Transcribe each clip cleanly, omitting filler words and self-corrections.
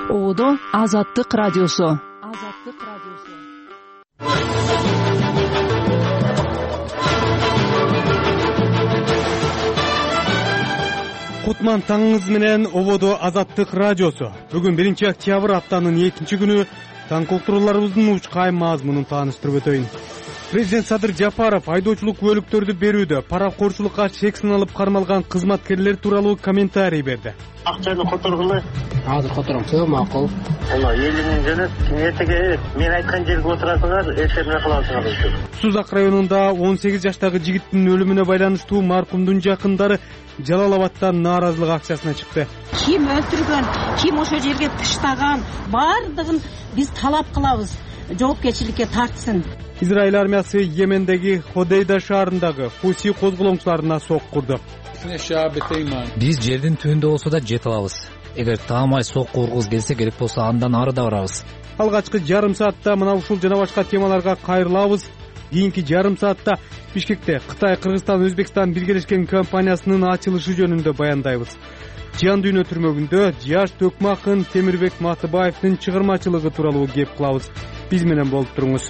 Ободо Азаттык радиосу. Кутман таңыңыз менен Ободо Азаттык радиосу. Бүгүн 1 октябрь аптанын 2 күнү таң колтурууларыбыздын учкай мазмунун тааныштырып өтөйүн. Президент Садыр Жапаров айдоочулук күбөлүктөрдү берүүдө паракорчулукка чек сыналып кармалган кызматкерлер тууралуу комментарий берди. Акчаны которгула. Азыр котором, все макул. Ана элинин жөнөт, эртеге мен айткан жерге отурасыңар, эртең кыласыңар. Сузак районунда 18 жаштагы жигиттин өлүмүнө байланыштуу маркумдун жакындары Жалал Абадтан нааразылык акциясына чыкты. Ким өлтүргөн, ким ошол жерге таштаган, бардыгын биз талап кылабыз. Жоопкерчиликке тартсын. Израиль армиясы Йемендеги Ходейда шаарындагы Хуси козголоңчуларына сок курду. Биз жердин түбүндө болсо да жете алабыз. Эгер таамай сок кургуз келсе керек болсо андан ары да барабыз. Алгачкы жарым саатта мына ушул жана башка темаларга кайрылабыз. Кийинки жарым саатта Бишкекте Кытай, Кыргызстан, Өзбекстан биргелешкен компаниясынын ачылышы жөнүндө баяндайбыз. Жан дүйнө түрмөгүндө Жаш Төкмакын Темирбек Матыбаевдин чыгармачылыгы тууралуу кеп кылабыз. Биз менен болуп туруңуз.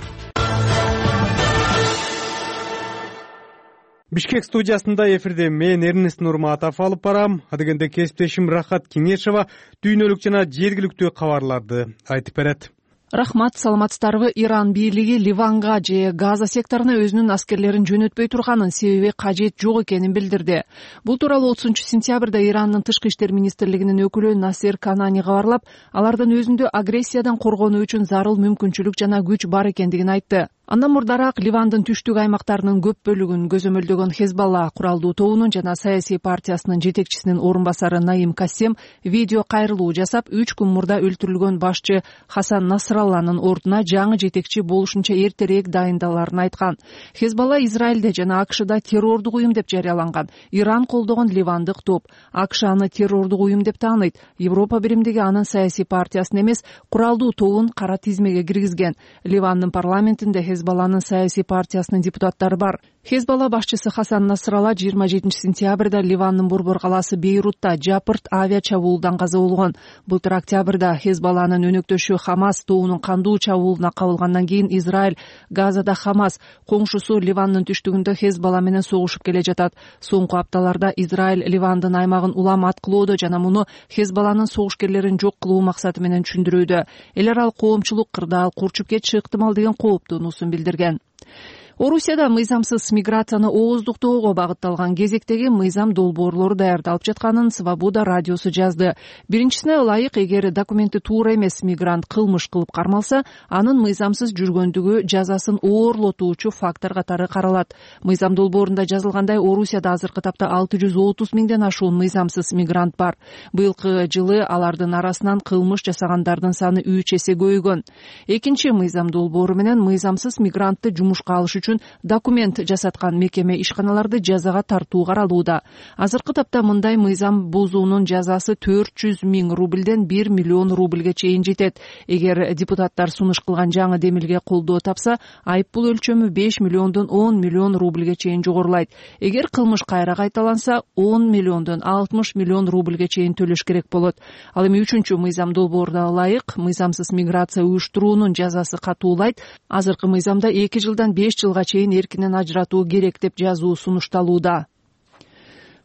Бишкек студиясында эфирде мен Эрнест Нурматов алып барам. Адегенде кесиптешим Рахат Кеңешова дүйнөлүк жана жергиликтүү кабарларды айтып берет. Рахмат, саламатсыздарбы? Иран бийлиги Ливанга же Газа секторуна өзүнүн аскерлерин жөнөтпөй турганын себеби кажет жок экенин билдирди. Бул тууралуу 30-сентябрда Ирандын тышкы иштер министрлигинин өкүлү Насер Канани кабарлап, алардын өзүндө агрессиядан коргонуу үчүн зарыл мүмкүнчүлүк жана күч бар экендигин айтты. Андан мурдараак Ливандын түштүк аймактарынын көп бөлүгүн көзөмөлдөгөн Хезбалла куралдуу тобунун жана саясий партиясынын жетекчисинин орун басары Наим Кассем видео кайрылуу жасап, 3 күн мурда өлтүрүлгөн башчы Хасан Насралланын ордуна жаңы жетекчи болушунча эртерээк дайындаларын айткан. Хезбалла Израилде жана АКШда террордук уюм деп жарыяланган. Иран колдогон ливандык топ АКШ аны террордук уюм деп тааныйт. Европа биримдиги анын саясий партиясын эмес, куралдуу тобун кара тизмеге киргизген. Ливандын парламентинде Хезбалланын саясий партиясынын депутаттары бар. Хезбалла башчысы Хасан Насралла 27-сентябрда Ливандын борбор калаасы Бейрутта жапырт авиа чабуулдан каза болгон. Былтыр октябрда Хезбалланын өнөктөшү Хамас тобунун кандуу чабуулуна кабылгандан кийин Израиль Газада Хамас, коңшусу Ливандын түштүгүндө Хезбалла менен согушуп келе жатат. Соңку апталарда Израиль Ливандын аймагын улам аткылоодо жана муну Хезбалланын согушкерлерин жок кылуу максаты менен түшүндүрүүдө. Эл аралык коомчулук кырдаал курчуп кетиши ыктымал деген кооптуунуусун билдирген. Орусияда мыйзамсыз миграцияны ооздуктоого багытталган кезектеги мыйзам долбоорлору даярдалып жатканын Свобода радиосу жазды. Биринчисине ылайык, эгер документи туура эмес мигрант кылмыш кылып кармалса, анын мыйзамсыз жүргөндүгү жазасын оорлотуучу фактор катары каралат. Мыйзам долбоорунда жазылгандай, Орусияда азыркы тапта 630 миңден ашуун мыйзамсыз мигрант бар. Быйылкы жылы алардын арасынан кылмыш жасагандардын саны 3 эсе көбөйгөн. Экинчи мыйзам долбоору менен мыйзамсыз мигрантты жумушка алыш үчүн документ жасаткан мекеме ишканаларды жазага тартуу каралууда. Азыркы тапта мындай мыйзам бузуунун жазасы 400 миң рубльден 1 миллион рубльге чейин жетет. Эгер депутаттар сунуш кылган жаңы демилге колдоо тапса, айыппул өлчөмү 5 миллиондон 10 миллион рубльге чейин жогорулайт. Эгер кылмыш кайра кайталанса, 10 миллиондон 60 миллион рубльге чейин төлөш керек болот. Ал эми 3-чү мыйзам долбооруна ылайык, мыйзамсыз миграция уюштуруунун жазасы катуулайт. Азыркы мыйзамда 2 жылдан 5 жылга чейин эркинен ажыратуу керек деп жазуу сунушталууда.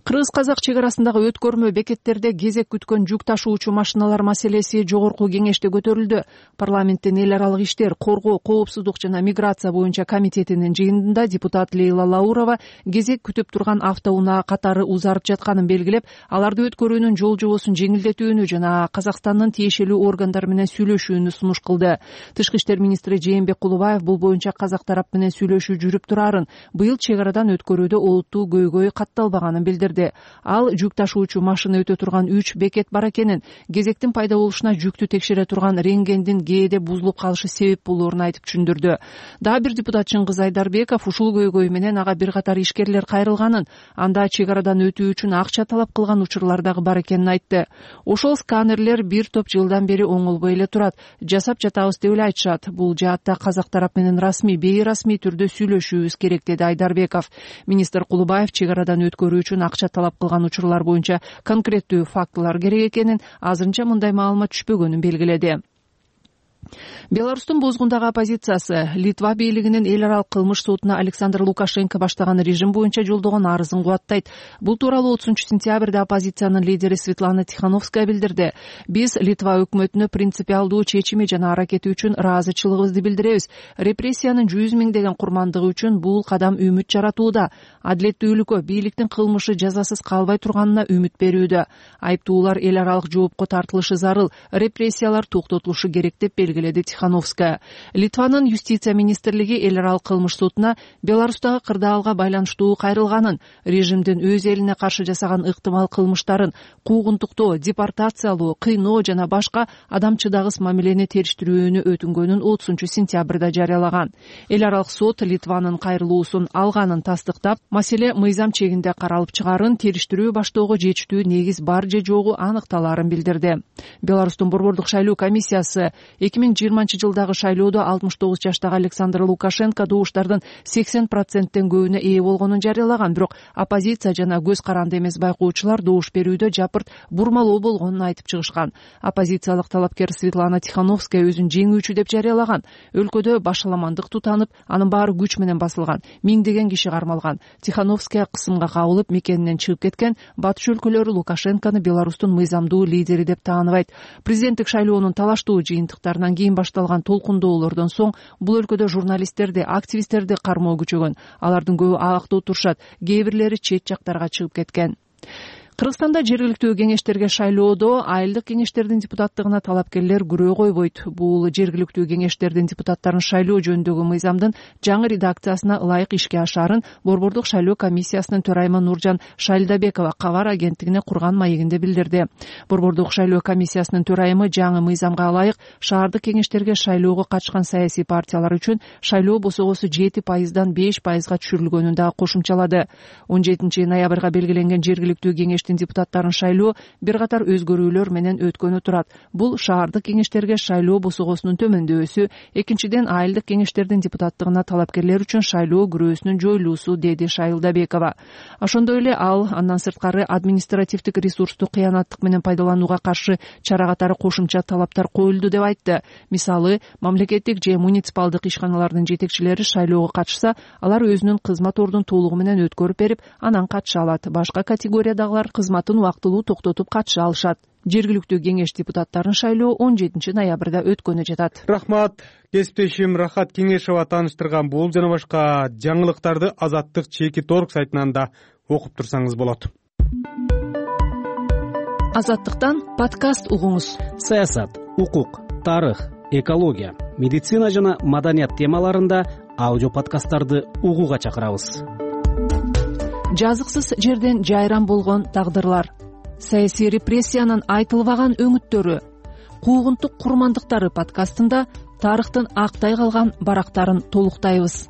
Кыргыз-казак чек арасындагы өткөрмө бекеттерде кезек күткөн жүк ташуучу машиналар маселеси жогорку кеңеште көтөрүлдү. Парламенттин эл аралык иштер, коргоо, коопсуздук жана миграция боюнча комитетинин жыйынында депутат Лейла Лаурова кезек күтүп турган автоунаа катары узарып жатканын белгилеп, аларды өткөрүүнүн жол жобосун жеңилдетүүнү жана Казакстандын тиешелүү органдары менен сүйлөшүүнү сунуш кылды. Тышкы иштер министри Жээнбек Кулубаев бул боюнча казак тарап менен сүйлөшүү жүрүп турарын, быйыл чек арадан өткөрүүдө олуттуу көйгөй катталбаганын билдирди. Ал жүк ташуучу машина өтө турган 3 бекет бар экенин, кезектин пайда болушуна жүктү текшере турган рентгендин кээде бузулуп калышы себеп болоорун айтып түшүндүрдү. Дагы бир депутат Чыңгыз Айдарбеков ушул көйгөй менен ага бир катар ишкерлер кайрылганын, анда чек арадан өтүү үчүн акча талап кылган учурлар дагы бар экенин айтты. Ошол сканерлер бир топ жылдан бери оңолбой эле турат, жасап жатабыз деп эле айтышат. Бул жаатта казак тарап менен расмий, бейрасмий түрдө сүйлөшүүбүз керек, деди Айдарбеков. Министр Кулубаев чек арадан өткөрүү үчүн акча акча талап кылган учурлар боюнча конкреттүү фактылар керек экенин, азырынча мындай маалымат түшпөгөнүн белгиледи. Беларустун бозгундагы оппозициясы Литва бийлигинин эл аралык кылмыш сотуна Александр Лукашенко баштаган режим боюнча жолдогон арызын кубаттайт. Бул тууралуу 30-сентябрда оппозициянын лидери Светлана Тихановская билдирди. Биз Литва өкмөтүнө принципиалдуу чечими жана аракети үчүн ыраазычылыгыбызды билдиребиз. Репрессиянын 100 миңдеген курмандыгы үчүн бул кадам үмүт жаратууда. Адилеттүүлүккө, бийликтин кылмышы жазасыз калбай турганына үмүт берүүдө. Айыптуулар эл аралык жоопко тартылышы зарыл, репрессиялар токтотулушу керек деп белгиледи Тихановская. Литванын юстиция министрлиги эл аралык кылмыш сотуна Беларустагы кырдаалга байланыштуу кайрылганын, режимдин өз элине каршы жасаган ыктымал кылмыштарын, куугунтуктоо, депортациялоо, кыйноо жана башка адамчыдагыс мамилени териштирүүнү өтүнгөнүн 30-сентябрда жарыялаган. Эл аралык сот Литванын кайрылуусун алганын тастыктап, маселе мыйзам чегинде каралып чыгарын, териштирүү баштоого жетиштүү негиз бар же жогу аныкталаарын билдирди. Беларустун борбордук шайлоо комиссиясы 2020-жылдагы шайлоодо 69 жаштагы Александр Лукашенко добуштардын 80%тен көбүнө ээ болгонун жарыялаган, бирок оппозиция жана көз каранды эмес байкоочулар добуш берүүдө жапырт бурмалоо болгонун айтып чыгышкан. Оппозициялык талапкер Светлана Тихановская өзүн жеңүүчү деп жарыялаган. Өлкөдө башаламандык тутанып, анын баары күч менен басылган, миңдеген киши кармалган. Тихановская кысымга кабылып, мекенинен чыгып кеткен. Батыш өлкөлөрү Лукашенкону Беларустун мыйзамдуу лидери деп тааныбайт. Президенттик шайлоонун талаштуу жыйынтыктарынан кийин башталган толкундоолордон соң бул өлкөдө журналисттерди, активисттерди кармоо күчөгөн. Алардын көбү абакта отурушат, кээ бирлери чет жактарга чыгып кеткен. Кыргызстанда жергиликтүү кеңештерге шайлоодо айылдык кеңештердин депутаттыгына талапкерлер күрөө койбойт. Бул жергиликтүү кеңештердин депутаттарын шайлоо жөнүндөгү мыйзамдын жаңы редакциясына ылайык ишке ашаарын борбордук шайлоо комиссиясынын төрайымы Нуржан Шайлдабекова кабар агенттигине курган маегинде билдирди. Борбордук шайлоо комиссиясынын төрайымы жаңы мыйзамга ылайык шаардык кеңештерге шайлоого катышкан саясий партиялар үчүн шайлоо босогосу 7%дан 5%га түшүрүлгөнүн да кошумчалады. 17 ноябрга белгиленген жергиликтүү кеңештин депутаттарын шайлоо бир катар өзгөрүүлөр менен өткөнү турат. Бул шаардык кеңештерге шайлоо босогосунун төмөндөсү, экинчиден айылдык кеңештердин депутаттыгына талапкерлер үчүн шайлоо күрөөсүнүн жоюлуусу, деди Шайлдабекова. Ошондой эле ал андан сырткары административдик ресурсту кыянаттык менен пайдаланууга каршы чара катары кошумча талаптар коюлду деп айтты. Мисалы, мамлекеттик же муниципалдык ишканалардын жетекчилери шайлоого катышса, алар өзүнүн кызмат ордун толугу менен өткөрүп берип, анан катыша алат. Башка категориядагылар кызматын убактылуу токтотуп катыша алышат. Жергиликтүү кеңеш депутаттарын шайлоо 17 ноябрда өткөнү жатат. Рахмат. Кесиптешим Рахат Кеңешова тааныштырган бул жана башка жаңылыктарды Азаттык Чекит.org сайтынан да окуп турсаңыз болот. Азаттыктан подкаст угуңуз. Саясат, укук, тарых, экология, медицина жана маданият темаларында аудио подкасттарды угууга чакырабыз. Жазыксыз жерден жайран болгон тагдырлар, саясий репрессиянын айтылбаган өңүттөрү, куугунтук курмандыктары подкастында тарыхтын актай калган барактарын толуктайбыз.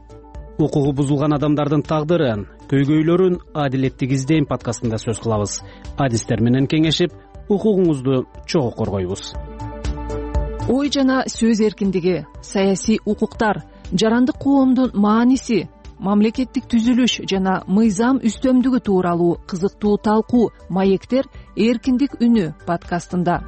Укугу бузулган адамдардын тагдырын, көйгөйлөрүн адилеттик издейм подкастында сөз кылабыз. Адистер менен кеңешип, укугуңузду чогуу коргойбуз. Ой жана сөз эркиндиги, саясий укуктар, жарандык коомдун мааниси, мамлекеттик түзүлүш жана мыйзам үстөмдүгү тууралуу кызыктуу талкуу, маектер эркиндик үнү подкастында.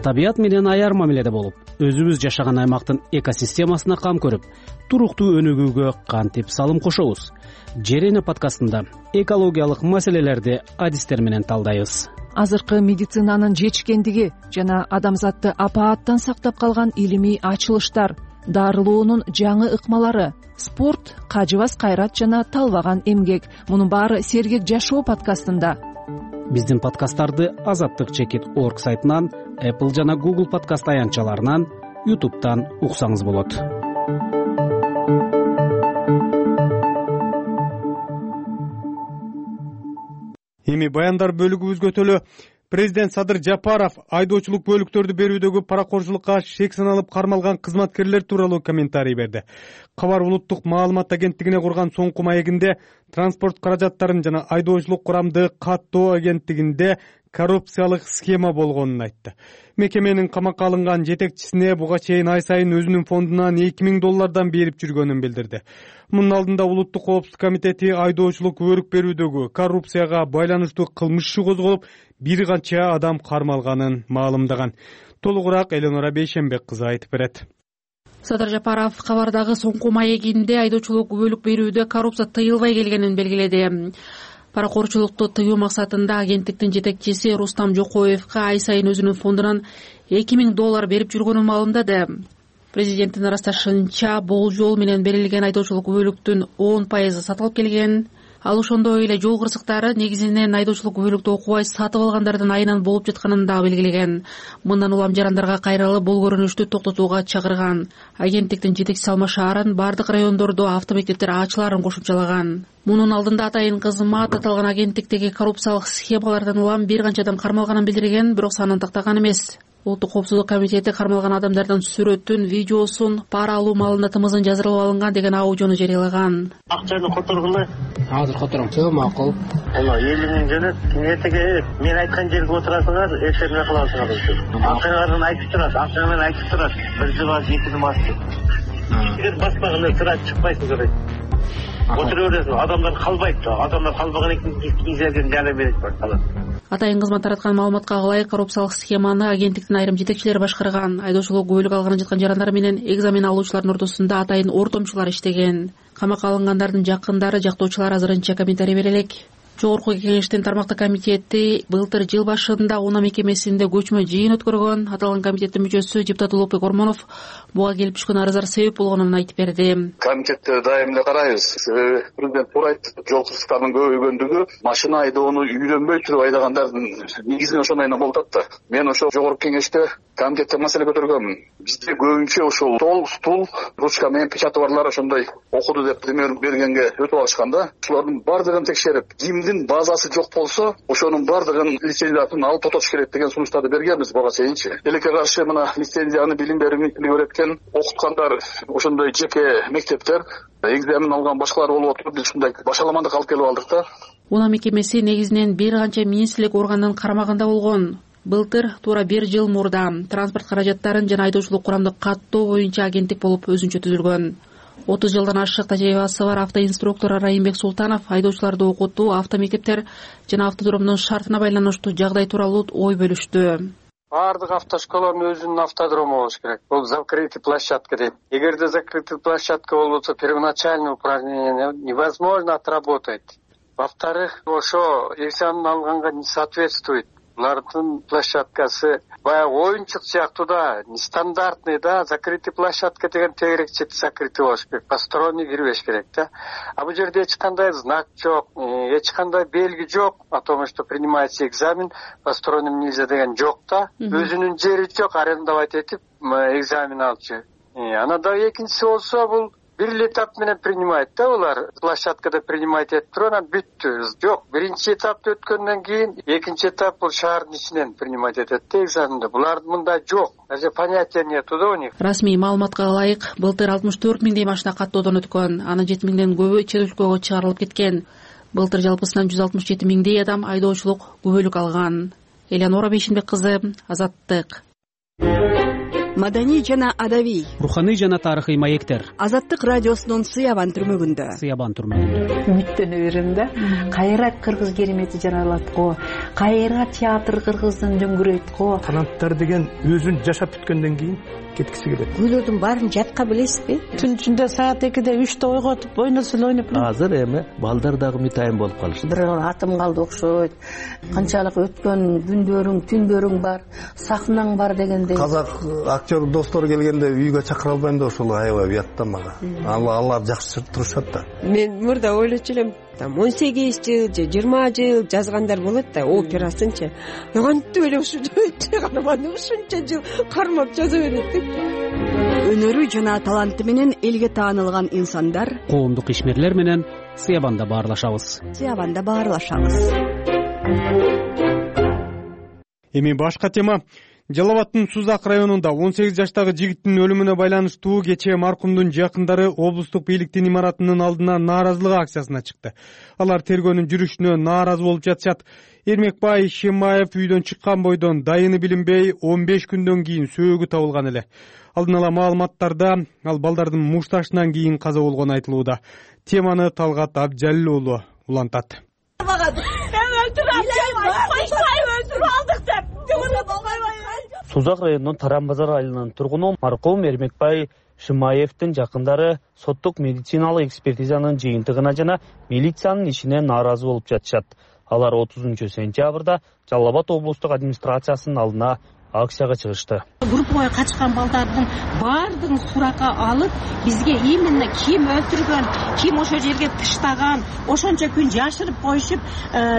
Табият менен аяр мамиледе болуп, өзүбүз жашаган аймактын экосистемасына кам көрүп, туруктуу өнүгүүгө кантип салым кошобуз? Жер эне подкастында экологиялык маселелерди адистер менен талдайбыз. Азыркы медицинанын жетишкендиги жана адамзатты апааттан сактап калган илимий ачылыштар, дарылоонун жаңы ыкмалары, спорт, кажыбас кайрат жана талбаган эмгек. Мунун баары Сергек жашоо подкастында. Биздин подкасттарды Азаттык Чекит.org сайтынан, Apple жана Google подкаст аянтчаларынан, YouTube'дан уксаңыз болот. Эми баяндар бөлүгүбүзгө өтөлү. Президент Садыр Жапаров айдоочулук бөлүктөрдү берүүдөгү паракорчулукка шек саналып кармалган кызматкерлер тууралуу комментарий берди. Кабар улуттук маалымат агенттигине курган соңку маегинде транспорт каражаттарын жана айдоочулук курамды каттоо агенттигинде коррупциялык схема болгонун айтты. Мекеменин камакка алынган жетекчисине буга чейин ай сайын өзүнүн фондунан $2000 берип жүргөнүн билдирди. Мунун алдында Улуттук коопсуздук комитети айдоочулук күбөлүк берүүдөгү коррупцияга байланыштуу кылмыш иши козголуп, бир канча адам кармалганын маалымдаган. Толугураак Эленора Бейшенбек кызы айтып берет. Садыр Жапаров кабардагы соңку маегинде айдоочулук күбөлүк берүүдө коррупция тыйылбай келгенин белгиледи. Паракорчулукту тыюу максатында агенттиктин жетекчиси Рустам Жокоевго ай сайын өзүнүн фондунан $2000 берип жүргөнүн маалымдады. Президенттин ырасташынча бул жол менен берилген айдоочулук күбөлүктүн 10% сатылып келген. Ал ошондой эле жол кырсыктары негизинен айдоочулук күбөлүктү окубай сатып алгандардын айынан болуп жатканын да белгилеген. Мындан улам жарандарга кайрылып, бул көрүнүштү токтотууга чакырган. Агенттиктин жетекчиси Алма Шаарын бардык райондордо автомектептер ачылаарын кошумчалаган. Мунун алдында атайын кызмат аталган агенттиктеги коррупциялык схемалардан улам бир канча адам кармалганын билдирген, бирок санын тактаган эмес. Улуттук коопсуздук комитети кармалган адамдардын сүрөтүн, видеосун, пара алуу маалында тымызын жаздырып алынган деген аудиону жарыялаган. Акчаны которгула. Азыр котором. Все макул. Ана 50 000 жөнөт. Эртеге мен айткан жерге отурасыңар, эфирне кыласыңар. Акчаңардын айтып турат, акчаңмен айтып турат. Бир жылга 2 жыл басты. Эгер баспаганда сыра чыкпайсың керек. Отура бересиң, адамдар калбайт. Адамдар калбаган экен, изерден жарым берет башталат. Атайын кызмат тараткан маалыматка ылайык коррупциялык схеманы агенттиктин айрым жетекчилери башкарган. Айдоочулук күбөлүк алган жаткан жарандар менен экзамен алуучулардын ортосунда атайын ортомчулар иштеген. Камакка алынгандардын жакындары, жактоочулар азырынча комментарий бере элек. Жогорку кеңештин тармактык комитети былтыр жыл башында унаа мекемесинде көчмө жыйын өткөргөн. Аталган комитеттин мүчөсү депутат Улукбек Ормонов буга келип түшкөн арыздар себеп болгонун айтып берди. Комитетте дайым эле карайбыз. Себеби президент туура айтты, жол кырсыктарынын көбөйгөндүгү машина айдоону үйрөнбөй туруп айдагандардын негизинен ошондойдон болуп атат да. Мен ошо жогорку кеңеште комитетте маселе көтөргөмүн. Бизде көбүнчө ошол стол, ручка менен печати барлар ошондой окуду деп пример бергенге өтүп алышканда, ошолордун бардыгын текшерип, кимдин базасы жок болсо, ошонун бардыгын лицензиясын алып тотош керек деген сунуштарды бергенбиз буга чейинчи. Элекке каршы мына лицензияны билим берүү министрлиги өткөн окуткандар ошондой жеке мектептер, экзамен алган башкалар болуп отуруп, биз ушундай башаламандык алып келип алдык да. Унаа мекемеси негизинен бир канча министрлик органдын карамагында болгон. Былтыр туура 1 жыл мурда транспорт каражаттарын жана айдоочулук курамды каттоо боюнча агенттик болуп өзүнчө түзүлгөн. 30 жылдан ашык тажрыйбасы бар автоинструктор Райымбек Султанов айдоочуларды окутуу, автомектептер жана автодромдун шартына байланыштуу жагдай тууралуу ой бөлүштү. Бардык автошколонун өзүнүн автодрому болуш керек. Бул закрытый площадка дейт. Эгерде закрытый площадка болбосо, первоначальное упражнение невозможно отработать. Во-вторых, ошо экзамен алганга не соответствует. Булардын площадкасы баягы оюнчук сыяктуу да, нестандартный да, закрытый площадка деген тегерек чети закрытый болуш керек, посторонний кирбеш керек да. А бул жерде эч кандай знак жок, эч кандай белги жок о том, что принимается экзамен, посторонним нельзя деген жок да. Өзүнүн жери жок, арендовать этип экзамен алчу. Анан экинчиси болсо бул бир эле этап менен принимает да, улар площадкада принимать этип туруп анан бүттү. Жок, биринчи этапты өткөндөн кийин экинчи этап бул шаардын ичинен принимать этет да экзаменди. Булардын мында жок. Даже понятия нету да у них. Расмий маалыматка ылайык, былтыр 64 000 машина каттоодон өткөн. Анын 7 000ден көбү чет өлкөгө чыгарылып кеткен. Былтыр жалпысынан 167 000 адам айдоочулук күбөлүк алган. Эленора Бейшенбек кызы, Азаттык. Маданий жана адабий, руханий жана тарыхый маектер. Азаттык радиосунун Сыябан түрмөгүндө. Үмүттөнө берем да. Кайра кыргыз керемети жаралат го. Кайра театр кыргыздын дөңгүрөйт го. Таланттар деген өзүн жашап бүткөндөн кийин кеткиси келет. Күйлөрдүн баарын жатка билесизби? Түн ичинде саат 2-де 3-те ойготуп, ойносун ойноп. Азыр эми балдар дагы мытайын болуп калышты. Бир атым калды окшойт. Канчалык өткөн күндөрүң, түндөрүң бар, сахнаң бар дегендей. Казак актер достор келгенде үйгө чакыра албайм да, ошол аябай уят да мага. Алар жакшы турушат да. Мен мурда ойлочу элем, 18 жыл же 20 жыл жазгандар болот да, операсынчы. Кантип эле ушунча карманды, ушунча жыл кармап жаза берет деп. Өнөрү жана таланты менен элге таанылган инсандар, коомдук ишмерлер менен Сыябанда баарлашабыз. Эми башка тема. Жалал Абадтын Сузак районунда 18 жаштагы жигиттин өлүмүнө байланыштуу кечээ маркумдун жакындары облустук бийликтин имаратынын алдына нааразылык акциясына чыкты. Алар тергөөнүн жүрүшүнө нааразы болуп жатышат. Эрмекбай Шемаев үйдөн чыккан бойдон дайыны билинбей 15 күндөн кийин сөөгү табылган эле. Алдын ала маалыматтарда ал балдардын мушташынан кийин каза болгону айтылууда. Теманы Талгат Абжалил уулу улантат. Сузак районунун Таран базар айылынын тургуну маркум Эрмекбай Шемаевдин жакындары соттук медициналык экспертизанын жыйынтыгына жана милициянын ишине нааразы болуп жатышат. Алар 30-сентябрда Жалал Абад облустук администрациясынын алдына акцияга чыгышты. Группага качкан балдардын баардыгын суракка алып, бизге именно ким өлтүргөн, ким ошол жерге тыштаган, ошончо күн жашырып коюшуп,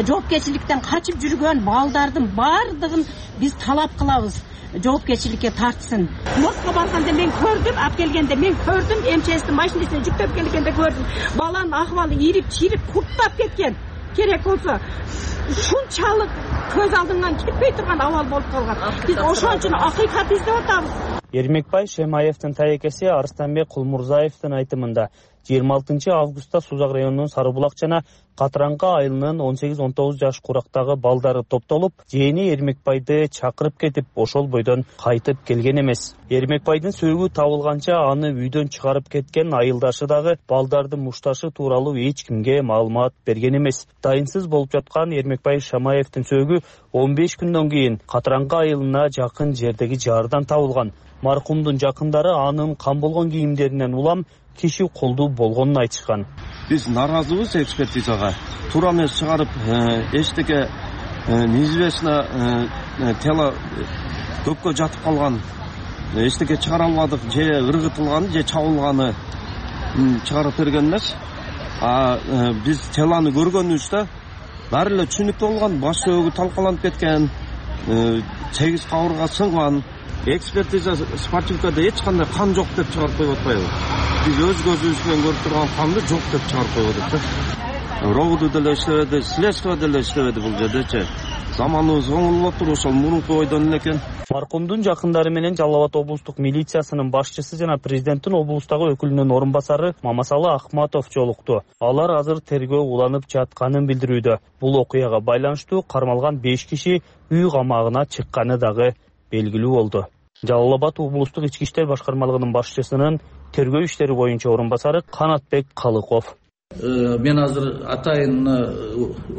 жоопкерчиликтен качып жүргөн балдардын баардыгын биз талап кылабыз. Жоопкерчиликке тартсын. Мостко барганда мен көрдүм, алып келгенде мен көрдүм, МЧСтин машинасына жүктөп келгенде көрдүм. Баланын акыбалы ирип, чирип, курттап кеткен. Керек болсо ушунчалык көз алдыңан кетпей турган абал болуп калган. Биз ошон үчүн акыйкат издеп атабыз. Эрмекбай Шемаевдин таекеси Арстанбек Кулмурзаевдин айтымында 26 августта Сузак районунун Сарыбулак жана Катыраңка айылынын 18-19 жаш курактагы балдары топтолуп, жээни Эрмекбайды чакырып кетип, ошол бойдон кайтып келген эмес. Эрмекбайдын сөөгү табылганча аны үйдөн чыгарып кеткен айылдашы дагы балдардын мушташы тууралуу эч кимге маалымат берген эмес. Дайынсыз болуп жаткан Эрмекбай Шемаевдин сөөгү 15 күндөн кийин Катыраңка айылына жакын жердеги жаардан табылган. Маркумдун жакындары анын кан болгон кийимдеринен улам киши колдуу болгонун айтышкан. Биз нааразыбыз экспертизага. Туура эмес чыгарып, эчтеке неизвестно тело көккө жатып калган. Эчтеке чыгара албадык, же ыргытылган, же чабылганы чыгарып берген эмес. Биз телону көргөнүбүздө баары эле түшүнүктүү болгон, баш сөөгү талкаланып кеткен, 8 кабырга сынган. Экспертиза спортивкада эч кандай кан жок деп чыгарып коюп атпайбы? Биз өз көзүбүз менен көрүп турган канды жок деп чыгарып коюп атат да. Робуду деле иштебеди, следствие деле иштебеди бул жердечи. Заманыбыз оңолуп атыр, ошол мурунку ойдон эле экен. Маркумдун жакындары менен Жалал Абад облустук милициясынын башчысы жана президенттин облустагы өкүлүнүн орун басары Мамасалы Ахматов жолукту. Алар азыр тергөө уланып жатканын билдирүүдө. Бул окуяга байланыштуу кармалган 5 киши үй камагына чыкканы дагы белгилүү болду. Жалал Абад облустук ички иштер башкармалыгынын башчысынын тергөө иштери боюнча орун басары Канатбек Калыков. Мен азыр атайын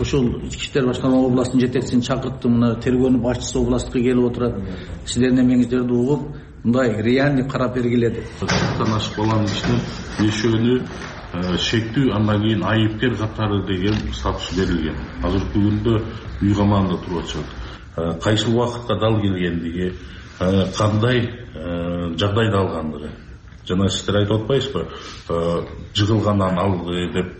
ошол ички иштер башкармалыгы областынын жетекчисин чакырттым. Мына тергөөнүн башчысы областка келип отурат. Сиздердин эмеңиздерди угуп, мындай реальный карап бергиле деп. Чактан ашып баланын ичинен бешөөнү шектүү, андан кийин айыпкер катары деген статус берилген. Азыркы күндө үй камагында туруп атышат. Кайсы убакытка дал келгендиги, кандай жагдайда алгандыгы. Жана сиздер айтып атпайсызбы, жыгылгандан алды деп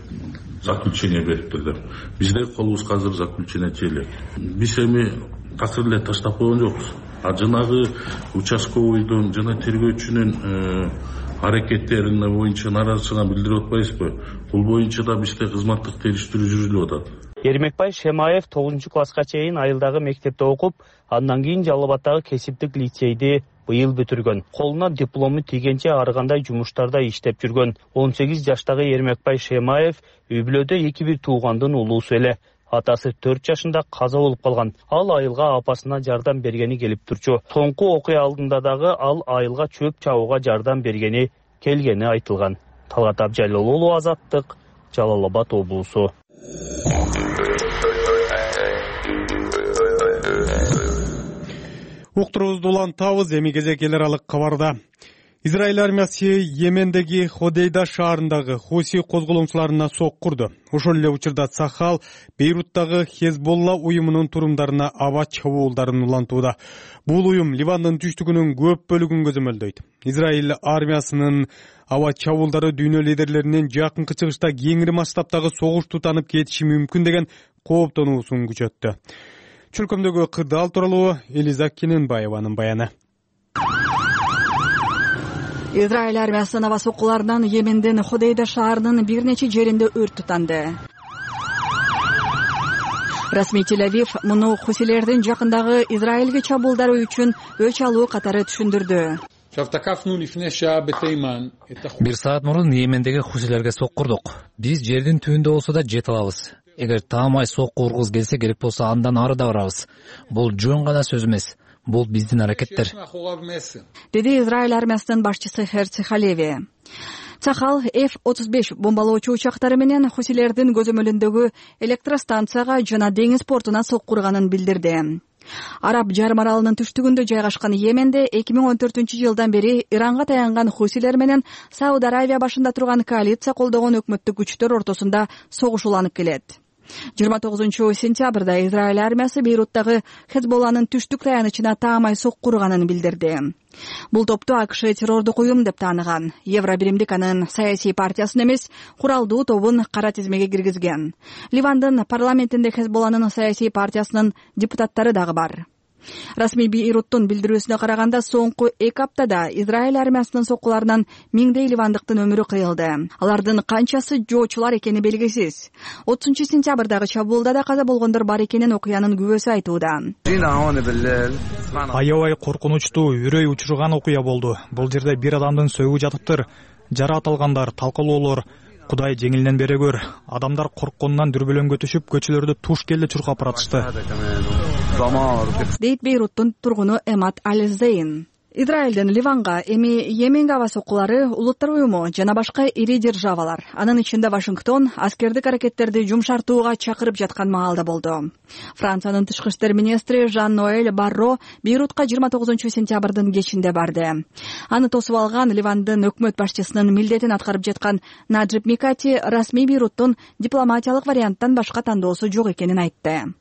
заключение бериптир деп. Бизде колубузга азыр заключение желек. Биз эми такыр эле таштап койгон жокпуз. Жанагы участковыйдын жана тергөөчүнүн аракеттерине боюнча нааразычылыгын билдирип атпайсызбы? Бул боюнча да бизде кызматтык териштирүү жүрүлүп атат. Эрмекбай Шемаев 9-класска чейин айылдагы мектепте окуп, андан кийин Жалал Абадтагы кесиптик лицейди быйыл бүтүргөн. Колуна диплому тийгенче ар кандай жумуштарда иштеп жүргөн. 18 жаштагы Эрмекбай Шемаев үй бүлөдө 2-1 туугандын улуусу эле. Атасы 4 жашында каза болуп калган. Ал айылга апасына жардам бергени келип турчу. Соңку окуя алдында дагы ал айылга чөп чабууга жардам бергени келгени айтылган. Талгат Абжалил уулу, Азаттык, Жалал Абад облусу. Уктурубузду улантабыз, эми кезек эл аралык кабарда. Израиль армиясы Йемендеги Ходейда шаарындагы Хуси козголоңчуларына сок курду. Ошол эле учурда Сахал Бейруттагы Хезболла уюмунун турумдарына аба чабуулдарын улантууда. Бул уюм Ливандын түштүгүнүн көп бөлүгүн көзөмөлдөйт. Израиль армиясынын аба чабуулдары дүйнө лидерлеринин жакынкы чыгышта кеңири масштабтагы согуш тутанып кетиши мүмкүн деген кооптонуусун күчөттү. Чөлкөмдөгү кырдаал тууралуу Элиза Кененбаеванын баяны. Израиль армиясынын аба соккуларынан Йемендин Ходейда шаарынын бир нече жеринде өрт тутанды. Расмий Тель-Авив муну хусилердин жакындагы Израилге чабуулдары үчүн өч алуу катары түшүндүрдү. Бир саат мурун Йемендеги хусилерге соккурдук. Биз жердин түбүндө болсо да жете алабыз. Эгер таамай сокку ургуз келсе, керек болсо андан ары да барабыз. Бул жөн гана сөз эмес. Бул биздин аракеттер, деди Израиль армиясынын башчысы Херци Халеви. Цахал F-35 бомбалоочу учактары менен хусилердин көзөмөлүндөгү электростанцияга жана деңиз портуна соккурганын билдирди. Араб жарым аралынын түштүгүндө жайгашкан Йеменде 2014-жылдан бери Иранга таянган хусилер менен Сауд Аравия башында турган коалиция колдогон өкмөттүк күчтөр ортосунда согуш уланып келет. 29-сентябрда Израиль армиясы Бейруттагы Хезболланын түштүк таянычына таамай соккурганын билдирди. Бул топту АКШ террордук уюм деп тааныган. Евробиримдик анын саясий партиясын эмес, куралдуу тобун кара тизмеге киргизген. Ливандын парламентинде Хезболланын саясий партиясынын депутаттары дагы бар. Расмий Бейруттун билдирүүсүнө караганда, соңку 2 аптада Израиль армиясынын соккуларынан миңдей ливандыктын өмүрү кыйылды. Алардын канчасы жоочулар экени белгисиз. 30-сентябрдагы чабуулда да каза болгондор бар экенин окуянын күбөсү айтууда. Аябай коркунучтуу, үрөй учурган окуя болду. Бул жерде бир адамдын сөгү жатыптыр. Жараат алгандар, талкалоолор. Кудай жеңилинен бере көр. Адамдар коркконунан дүрбөлөңгө түшүп, көчөлөрдө туш келди чуркап баратышты, дейт Бейруттун тургуну Эмат Аль-Зейн. Израилдин Ливанга, эми Йеменге аба соккулары, Улуттар уюму жана башка ири державалар, анын ичинде Вашингтон, аскердик аракеттерди жумшартууга чакырып жаткан маалда болду. Франциянын тышкы иштер министри Жан-Ноэль Барро Бейрутка 29-сентябрдын кечинде барды. Аны тосуп алган Ливандын өкмөт башчысынын милдетин аткарып жаткан Наджиб Микати расмий Бейруттун дипломатиялык варианттан башка тандоосу жок экенин айтты.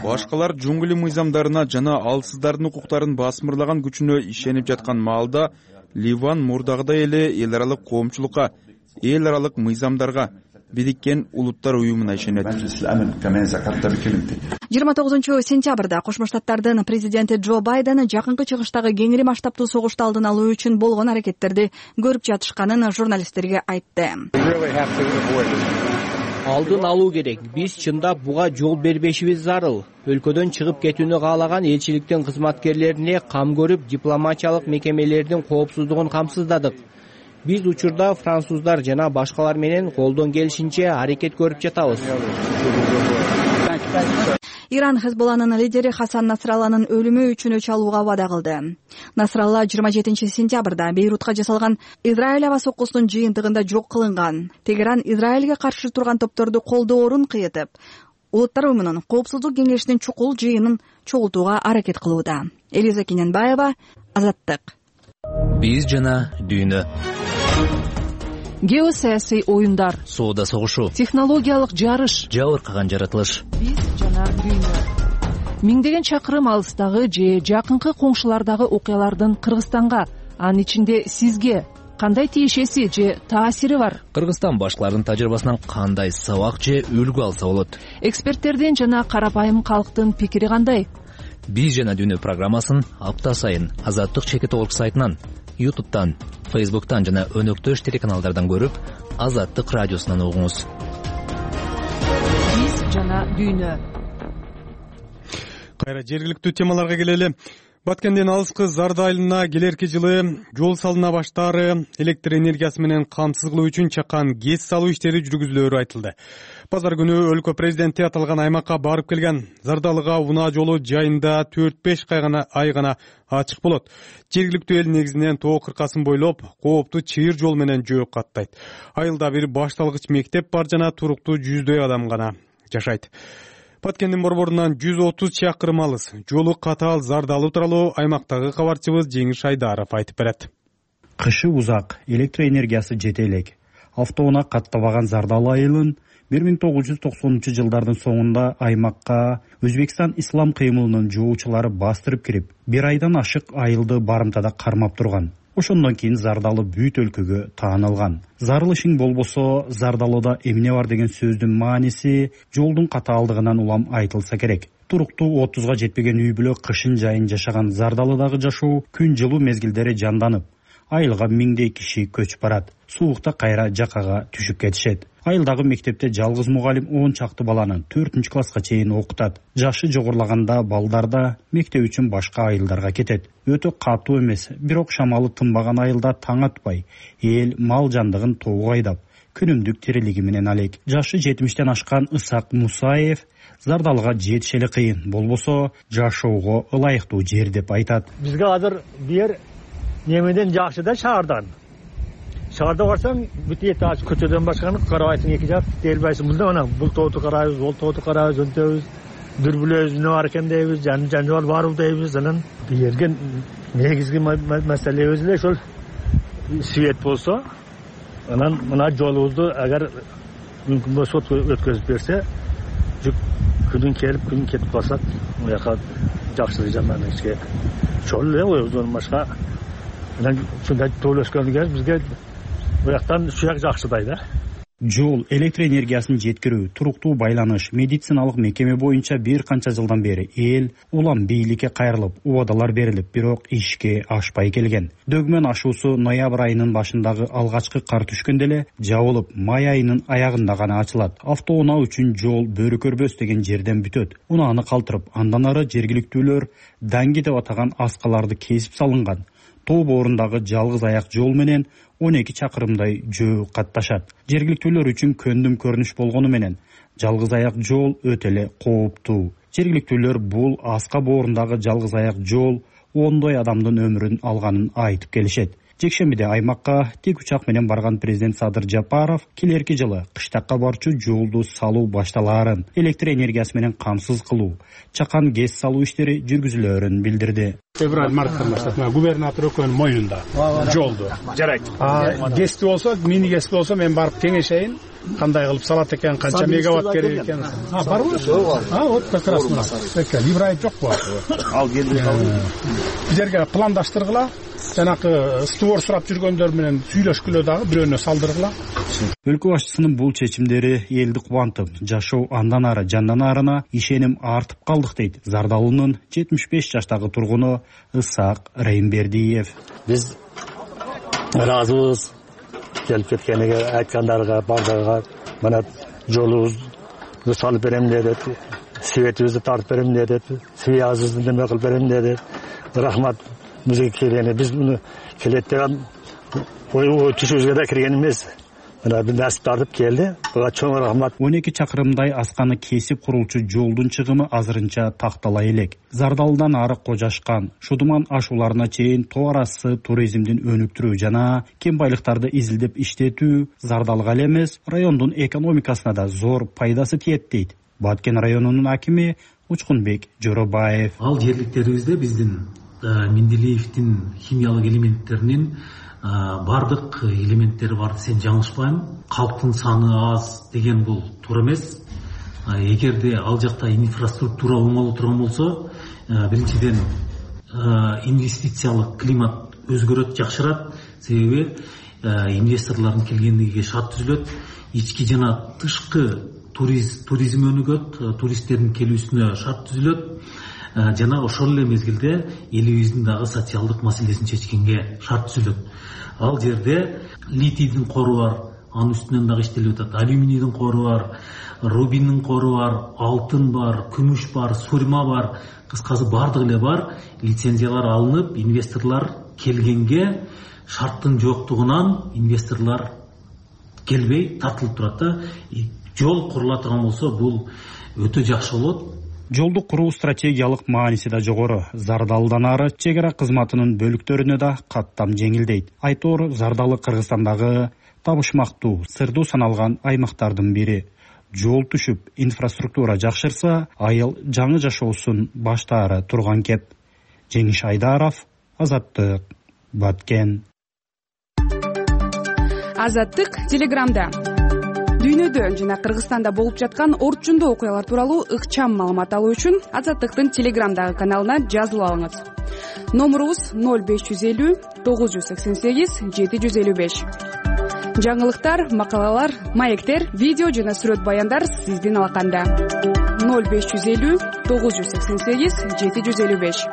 Башкалар жунгли мыйзамдарына жана алсыздардын укуктарын басмырлаган күчүнө ишенип жаткан маалда Ливан мурдагыдай эле эл аралык коомчулукка, эл аралык мыйзамдарга, Бириккен Улуттар уюмуна ишенет. 29-сентябрда Кошмо Штаттардын президенти Джо Байден жакынкы чыгыштагы кеңири масштабтуу согушту алдын алуу үчүн болгон аракеттерди көрүп жатышканын журналисттерге айтты. Алдын алуу керек. Биз чындап буга жол бербешибиз зарыл. Өлкөдөн чыгып кетүүнү каалаган элчиликтин кызматкерлерине кам көрүп, дипломатиялык мекемелердин коопсуздугун камсыздадык. Биз учурда француздар жана башкалар менен колдон келишинче аракет көрүп жатабыз. Иран Хезболланын лидери Хасан Насралланын өлүмү үчүн өч алууга вада кылды. Насралла 27-сентябрда Бейрутка жасалган Израиль аба соккусунун жыйынтыгында жок кылынган. Тегеран Израилге каршы турган топторду колдоорун кыйытып, Улуттар уюмунун коопсуздук кеңешинин чукул жыйынын чогултууга аракет кылууда. Элиза Кененбаева, Азаттык. Биз жана дүйнө. Геосаясий оюндар, соода согушу, технологиялык жарыш, жабыркаган жаратылыш. Биз жана дүйнө. Миңдеген чакырым алыстагы же жакынкы коңшулардагы окуялардын Кыргызстанга, анын ичинде сизге кандай тиешеси же таасири бар? Кыргызстан башкаларынын тажрыйбасынан кандай сабак же үлгү алса болот? Эксперттердин жана карапайым калктын пикири кандай? Биз жана дүйнө программасын апта сайын Азаттык чекит орг сайтынан, YouTube'дан, Facebook'tan жана өнөктөш телеканалдардан көрүп, Азаттык радиосунан угуңуз. Биз жана дүйнө. Кайра жергиликтүү темаларга келели. Баткенден алыскы Зарды айылына келерки жылы жол салына баштаары электр энергиясы менен камсыз кылуу үчүн чакан ГЭС салуу иштери жүргүзүлөөрү айтылды. Базар күнү өлкө президенти аталган аймакка барып келген. Зардалыга унаа жолу жайында 4-5 ай гана ачык болот. Жергиликтүү эл негизинен тоо кыркасын бойлоп, кооптуу чыйыр жол менен жөө каттайт. Айылда бир башталгыч мектеп бар жана туруктуу 100дөй адам гана жашайт. Баткендин борборунан 130 чакырым алыс. Жолу катаал Зардалы тууралуу аймактагы кабарчыбыз Жеңиш Айдаров айтып берет. Кышы узак, электр энергиясы жете элек. Автоунаа каттабаган Зардалы айылын 1990-жылдардын соңунда аймакка Өзбекстан ислам кыймылынын жоочулары бастырып кирип, бир айдан ашык айылды барымтада кармап турган. Ошондон кийин Зардалы бүт өлкөгө таанылган. Зарылышың болбосо Зардалыда эмне бар деген сөздүн мааниси жолдун катаалдыгынан улам айтылса керек. Туруктуу 30га жетпеген үй бүлө кышын жайын жашаган Зардалыдагы жашоо күн жылуу мезгилдери жанданып, айылга миңдей киши көчүп барат. Суукта кайра жакага түшүп кетишет. Айылдагы мектепте жалгыз мугалим 10 чакты баланы 4-класска чейин окутат. Жашы жогорулаганда балдар да мектеп үчүн башка айылдарга кетет. Өтө катуу эмес, бирок шамалы тынбаган айылда таң атпай, эл мал жандыгын тоого айдап, күнүмдүк тирилиги менен алек. Жашы 70-тен ашкан Ысак Мусаев Зардалга жетиш эле кыйын, болбосо жашоого ылайыктуу жер деп айтат. Бизге азыр бир немеден жакшы да шаардан. Шаарда барсаң, бүт эт аш көчөдөн башканы карабайсың, эки жак делбайсың. Мында мына бул тооту карайбыз, бул тооту карайбыз, өнтөбүз, дүрбүлөбүз, эмне бар экен дейбиз, жаныбар барбы дейбиз. Анан бирген негизги маселе өзү эле ошол свет болсо, анан мына жолубузду агар мүмкүн болсо өткөзүп берсе, күнүн келип күнүн кетип калсак, муяка жакшылык жаман эчке чол эле ойбуздан башка. Анан ушундай тоолошкондон кийин бизге буяктан ушуяк жакшыдай да. Жол, электр энергиясын жеткирүү, туруктуу байланыш, медициналык мекеме боюнча бир канча жылдан бери эл улам бийликке кайрылып, убадалар берилип, бирок ишке ашпай келген. Дөгмөн ашуусу ноябрь айынын башындагы алгачкы кар түшкөндө эле жабылып, май айынын аягында гана ачылат. Автоунаа үчүн жол бөрүкөрбөс деген жерден бүтөт. Унааны калтырып, андан ары жергиликтүүлөр данги деп атаган аскаларды кесип салынган. Тоо боорундагы жалгыз аяк жол менен 12 чакырымдай жөө катташат. Жергиликтүүлөр үчүн көндүм көрүнүш болгону менен жалгыз аяк жол өтө эле кооптуу. Жергиликтүүлөр бул аска боорундагы жалгыз аяк жол ондой адамдын өмүрүн алганын айтып келишет. Жекшембиде аймакка тик учак менен барган президент Садыр Жапаров келерки жылы кыштакка барчу жолду салуу башталаарын, электр энергиясы менен камсыз кылуу, чакан гез салуу иштери жүргүзүлөөрүн билдирди. Февраль-марттан баштап губернатор экөөнүн моюнда жолду жарайт. Гезди болсо, мини гезди болсо мен барып кеңешейин, кандай кылып салат экен, канча мегаватт керек экен. Барбы? Вот как раз мына. Либрайт жокпу? Ал келди. Бизерге пландаштыргыла, жанакы створ сурап жүргөндөр менен сүйлөшкүлө дагы бирөөнө салдыргыла. Өлкө башчысынын бул чечимдери элди кубантып, жашоо андан ары жандан арына ишеним артып калдык дейт Зардалынын 75 жаштагы тургуну Ысак Реймбердиев. Биз ыраазыбыз келип кеткениге, айткандарга, бардыгыга. Мына жолубузду салып берем деди, светибизди тартып берем деди, связыбызды неме кылып берем деди. Рахмат бизге келгени, биз муну келет деген ой түшүбүзгө да кирген эмес. Мына бир насип тартып келди. Буга чоң рахмат. 12 чакырымдай асканы кесип курулчу жолдун чыгымы азырынча тактала элек. Зардалдан ары Кожашкан, Шудуман ашууларына чейин тоо арасы туризмдин өнүктүрүү жана кем байлыктарды изилдеп иштетүү Зардалга эле эмес, райондун экономикасына да зор пайдасы тиет дейт Баткен районунун акими Учкунбек Жоробаев. Ал жерликтерибизде биздин Менделеевдин химиялык элементтеринин бардык элементтери бар десем жаңылышпайм. Калктын саны аз деген бул туура эмес. Эгерде ал жакта инфраструктура оңоло турган болсо, биринчиден инвестициялык климат өзгөрөт, жакшырат. Себеби инвесторлордун келгендигиге шарт түзүлөт. Ички жана тышкы туризм өнүгөт, туристтердин келүүсүнө шарт түзүлөт. Жана ошол эле мезгилде элибиздин дагы социалдык маселесин чечкенге шарт түзүлөт. Ал жерде литийдин кору бар, анын үстүнөн дагы иштелип атат. Алюминийдин кору бар, рубиндин кору бар, алтын бар, күмүш бар, сурма бар. Кыскасы бардыгы эле бар. Лицензиялар алынып, инвесторлор келгенге шарттын жоктугунан инвесторлор келбей тартылып турат да. Жол курула турган болсо, бул өтө жакшы болот. Жолду куруу стратегиялык мааниси да жогору. Зардалдан ары чек ара кызматынын бөлүктөрүнө да каттам жеңилдейт. Айтор Зардалы Кыргызстандагы табышмактуу, сырдуу саналган аймактардын бири. Жол түшүп, инфраструктура жакшырса, айыл жаңы жашоосун баштаары турган кеп. Жеңиш Айдаров, Азаттык, Баткен. Азаттык Телеграмда. Дүйнөдө жана Кыргызстанда болуп жаткан орчундуу окуялар тууралуу ыкчам маалымат алуу үчүн Азаттыктын Телеграмдагы каналына жазылып алыңыз. Номурубуз 0550 988 755. Жаңылыктар, макалалар, маектер, видео жана сүрөт баяндар сиздин алаканда. 0550 988 755.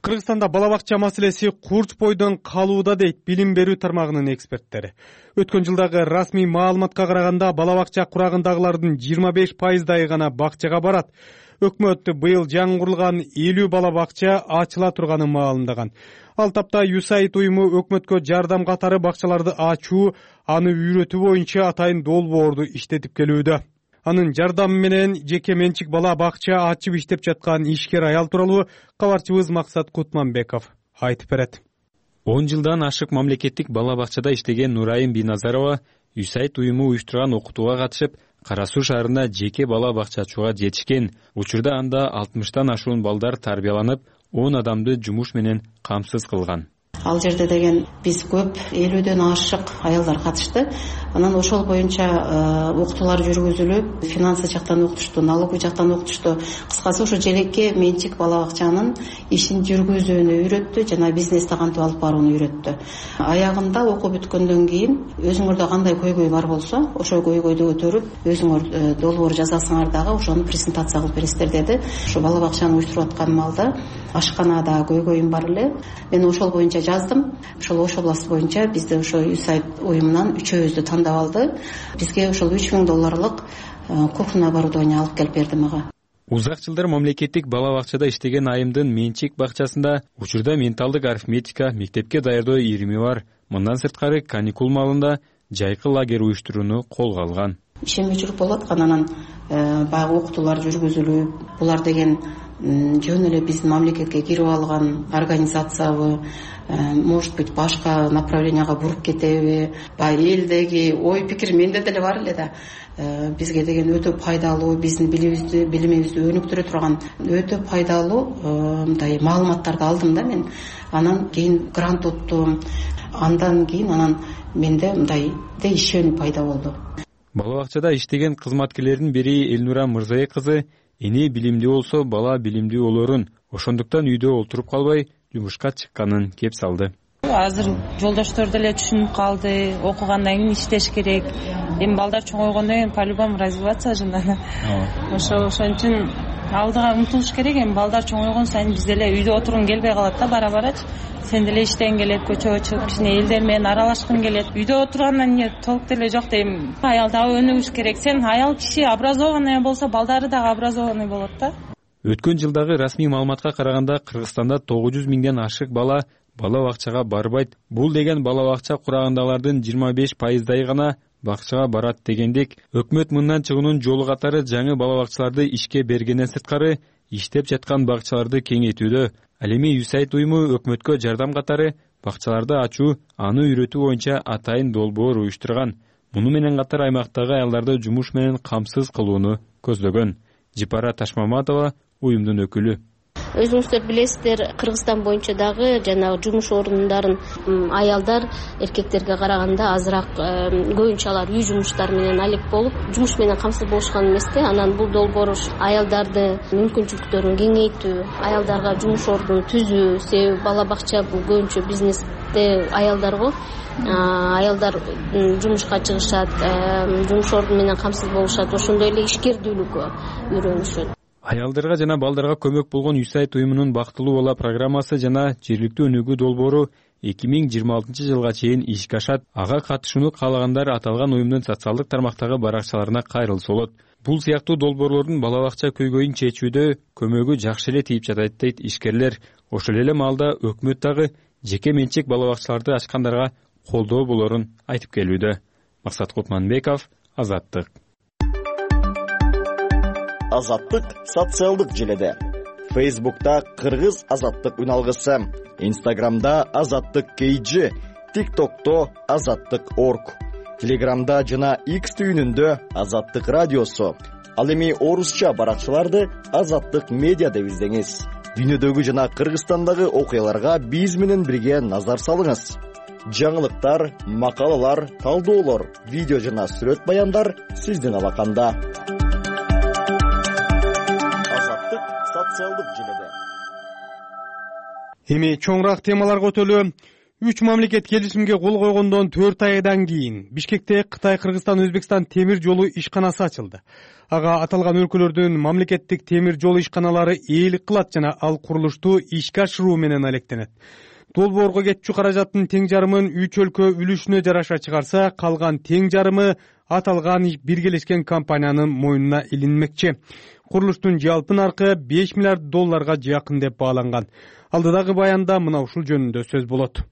Кыргызстанда бала бакча маселеси курч бойдон калууда дейт билим берүү тармагынын эксперттери. Өткөн жылдагы расмий маалыматка караганда бала бакча курагындагылардын 25%ы гана бакчага барат. Өкмөт быйыл жаңы курулган 50 бала бакча ачыла турганын маалымдаган. Ал тапта USAID уюму өкмөткө жардам катары бакчаларды ачуу, аны үйрөтүү боюнча атайын долбоорду иштетип келүүдө. Анын жардамы менен жеке менчик бала бакча ачып иштеп жаткан ишкер аял тууралуу кабарчыбыз Максат Кутманбеков айтып берет. 10 жылдан ашык мамлекеттик бала бакчада иштеген Нурайым Биназарова USAID уюму уюштурган окутууга катышып, Кара Суу шаарына жеке бала бакча ачууга жетишкен. Учурда анда 60тан ашуун балдар тарбияланып, 10 адамды жумуш менен камсыз кылган. Ал жерде деген биз көп 50дөн ашык аялдар катышты. Анан ошол боюнча окутуулар жүргүзүлүп, финансы жактан окутушту, налоговый жактан окутушту. Кыскасы ошо жеке менчик бала бакчанын ишин жүргүзүүнү үйрөттү, жана бизнести кантип алып барууну үйрөттү. Аягында окуу бүткөндөн кийин өзүңөрдө кандай көйгөй бар болсо, ошол көйгөйдү көтөрүп, өзүңөр долбоор жазасыңар дагы ошону презентация кылып бересиздер деди. Ошо бала бакчаны уюштуруп аткан малда ашканада көйгөйүм бар эле. Мен ошол боюнча жаздым. Ошол область боюнча бизде ошо USAID уюмунан үчөөбүздү тандап алды. Бизге ошол $3000 кухня оборудование алып келип берди мага. Узак жылдар мамлекеттик бала бакчада иштеген айымдын менчик бакчасында учурда менталдык арифметика, мектепке даярдоо ирими бар. Мындан сырткары каникул маалында жайкы лагерь уюштурууну колго алган. Ишеме жүрүп болуп аткан, анан баягы окутуулар жүргүзүлүп, булар деген жөн эле биздин мамлекетке кирип алган организациябы, может быть башка направленияга буруп кетеби, баягы элдеги ой пикир менде деле бар эле да. Бизге деген өтө пайдалуу, биздин билимибизди өнүктүрө турган өтө пайдалуу мындай маалыматтарды алдым да мен. Анан кийин грант уттум. Андан кийин менде мындай ишенүү пайда болду. Бала бакчада иштеген кызматкерлердин бири Элнура Мырзай кызы эне билимдүү болсо бала билимдүү болорун, ошондуктан үйдө олтуруп калбай жумушка чыкканын кеп салды. Азыр жолдоштор деле түшүнүп калды, окугандан кийин иштеш керек. Эми балдар чоңойгондон кийин по-любому развиваться жана. Ошон үчүн алдыга умтулуш керек. Эми балдар чоңойгон сайын биз деле үйдө отургун келбей калат да бара-барачы. Сен деле иштегиң келет, көчөгө чыгып кичине элдер менен аралашкың келет. Үйдө отургандан эмне толук деле жок дейм. Аял дагы өнүгүш керек. Сен аял киши образованный болсо, балдары дагы образованный болот да. Өткөн жылдагы расмий маалыматка караганда Кыргызстанда 900 миңден ашык бала бакчага барбайт. Бул деген бала бакча курагындагылардын 25%ы гана бакчага барат дегендек, өкмөт мындан чыгуунун жолу катары жаңы бала бакчаларды ишке бергенден сырткары иштеп жаткан бакчаларды кеңейтүүдө. Ал эми USAID уюму өкмөткө жардам катары бакчаларды ачуу, аны үйрөтүү боюнча атайын долбоор уюштурган. Муну менен катар аймактагы аялдарды жумуш менен камсыз кылууну көздөгөн. Жипара Ташмаматова уюмдун өкүлү. Өзүңүздөр билесиздер, Кыргызстан боюнча дагы жанагы жумуш орундарын аялдар эркектерге караганда азыраак көбүнчө алар үй жумуштары менен алек болуп, жумуш менен камсыз болушкан эмес да. Анан бул долбоор аялдарды мүмкүнчүлүктөрүн кеңейтүү, аялдарга жумуш ордун түзүү, себеби бала бакча бул көбүнчө бизнесте аялдарго. Аялдар жумушка чыгышат, жумуш орду менен камсыз болушат, ошондой эле ишкердүүлүккө үйрөнүшөт. Аялдарга жана балдарга көмөк болгон USAID уюмунун бактылуу бала программасы жана жергиликтүү өнүгүү долбоору 2026 жылга чейин ишке ашат. Ага катышууну каалагандар аталган уюмдун социалдык тармактагы баракчаларына кайрылса болот. Бул сыяктуу долбоорлордун бала бакча көйгөйүн чечүүдө көмөгү жакшы эле тийип жатат дейт ишкерлер. Ошол эле маалда өкмөт дагы жеке менчик бала бакчаларды ачкандарга колдоо болорун айтып келүүдө. Максат Кутманбеков, Азаттык. Азаттык социалдык желеде. Facebook'ta Кыргыз Азаттык үналгысы, Instagram'da Азаттык KG, TikTok'ta Азаттык.org, Telegram'da жана X түйүнүндө Азаттык радиосу. Ал эми орусча баракчаларды Азаттык медиа деп издеңиз. Дүйнөдөгү жана Кыргызстандагы окуяларга биз менен бирге назар салыңыз. Жаңылыктар, макалалар, талдоолор, видео жана сүрөт баяндар сиздин алаканда. Азаттык социалдык желеде. Эми чоңураак темаларга өтөлү. 3 мамлекет келишимге кол койгондон 4 айдан кийин Бишкекте Кытай, Кыргызстан, Өзбекстан темир жолу ишканасы ачылды. Ага аталган өлкөлөрдүн мамлекеттик темир жол ишканалары ээлик кылат жана ал курулушту ишке ашыруу менен алектенет. Долбоорго кетчү каражаттын тең жарымын 3 өлкө үлүшүнө жараша чыгарса, калган тең жарымы аталган биргелешкен компаниянын мойнуна илинмекчи. Курулуштун жалпы наркы $5 миллиард жакын деп бааланган. Алдыдагы баянда мына ушул жөнүндө сөз болот.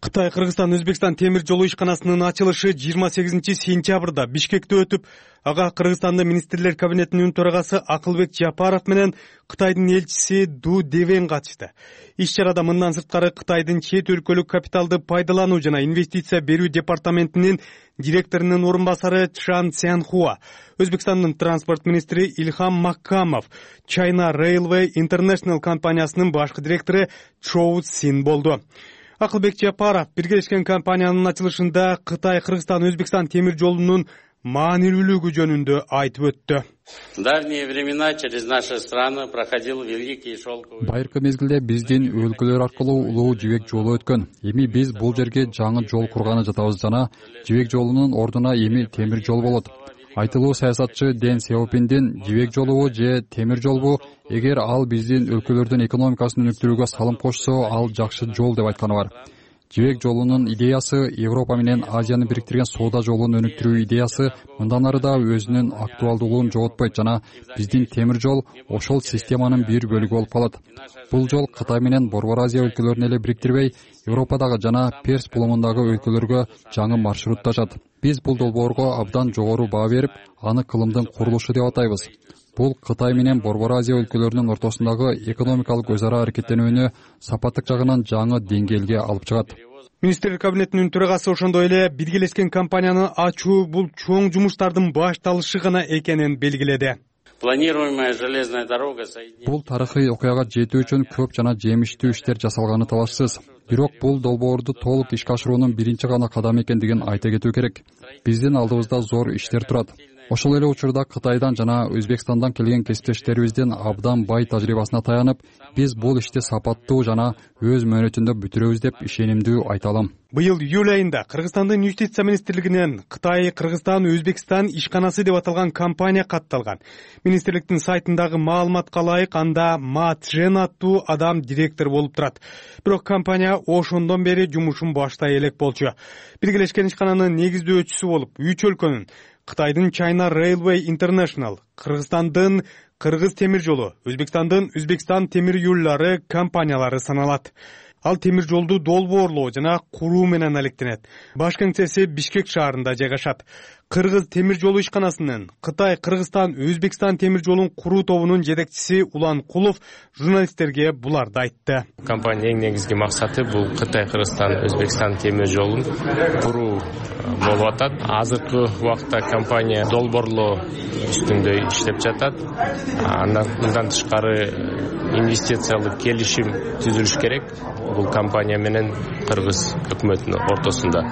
Кытай, Кыргызстан, Өзбекстан темир жолу ишканасынын ачылышы 28 сентябрда Бишкекте өтүп, ага Кыргызстандын министрлер кабинетинин төрагасы Акылбек Жапаров менен Кытайдын элчиси Ду Девен катышты. Иш-чарада мындан сырткары Кытайдын чет өлкөлүк капиталды пайдалануу жана инвестиция берүү департаментинин директорунун орун басары Чжан Цянхуа, Өзбекстандын транспорт министри Илхам Маккамов, China Railway International компаниясынын башкы директору Чоу Син болду. Акылбек Жапаров биргелешкен компаниянын ачылышында Кытай, Кыргызстан, Өзбекстан темир жолунун маанилүүлүгү жөнүндө айтып өттү. В давние времена через наши страны проходил великий шелковый. Байыркы мезгилде биздин өлкөлөр аркылуу улуу жибек жолу өткөн. Эми биз бул жерге жаңы жол курганы жатабыз жана жибек жолунун ордуна эми темир жол болот. Айтылуу саясатчы Дэн Сяопиндин жибек жолубу же темир жолбу, эгер ал биздин өлкөлөрдүн экономикасын өнүктүрүүгө салым кошсо, ал жакшы жол деп айтканы бар. Жибек жолунун идеясы Европа менен Азияны бириктирген соода жолун өнүктүрүү идеясы мындан ары да өзүнүн актуалдуулугун жоготпойт жана биздин темир жол ошол системанын бир бөлүгү болуп калат. Бул жол Кытай менен Борбор Азия өлкөлөрүн эле бириктирбей, Европадагы жана Перс булумундагы өлкөлөргө жаңы маршрут ачат. Биз бул долбоорго абдан жогору баа берип, аны кылымдын курулушу деп атайбыз. Бул Кытай менен Борбор Азия өлкөлөрүнүн ортосундагы экономикалык өз ара аракеттенүүнү сапаттык жагынан жаңы деңгээлге алып чыгат. Министрлер кабинетинин төрагасы ошондой эле биргелешкен компанияны ачуу бул чоң жумуштардын башталышы гана экенин белгиледи. Планируемая железная дорога соединит. Бул тарыхый окуяга жетүү үчүн көп жана жемиштүү иштер жасалганы талашсыз. Бирок бул долбоорду толук ишке ашыруунун биринчи гана кадамы экендигин айта кетүү керек. Биздин алдыбызда зор иштер турат. Ошол эле учурда Кытайдан жана Өзбекстандан келген кесиптештерибиздин абдан бай тажрыйбасына таянып, биз бул ишти сапаттуу жана өз мөөнөтүндө бүтүрөбүз деп ишенимдүү айта алам. Быйыл июль айында Кыргызстандын юстиция министрлигинен Кытай, Кыргызстан, Өзбекстан ишканасы деп аталган компания катталган. Министрликтин сайтындагы маалыматка ылайык, анда Ма Чжен аттуу адам директор болуп турат. Бирок компания ошондон бери жумушун баштай элек болчу. Биргелешкен ишкананын негиздөөчүсү болуп, 3 өлкөнүн Кытайдын China Railway International, Кыргызстандын Кыргыз темир жолу, Өзбекстандын Өзбекстан темир юллары компаниялары саналат. Ал темир жолду долбоорлоо жана куруу менен алектенет. Баш кеңсеси Бишкек шаарында жайгашат. Кыргыз темир жолу ишканасынын Кытай, Кыргызстан, Өзбекстан темир жолун куруу тобунун жетекчиси Улан Кулов журналисттерге буларды айтты. Компаниянын эң негизги максаты бул Кытай, Кыргызстан, Өзбекстан темир жолун куруу болуп атат. Азыркы убакта компания долбоорлоо үстүндө иштеп жатат. Андан тышкары инвестициялык келишим түзүлүш керек. Бул компания менен Кыргыз өкмөтүнүн ортосунда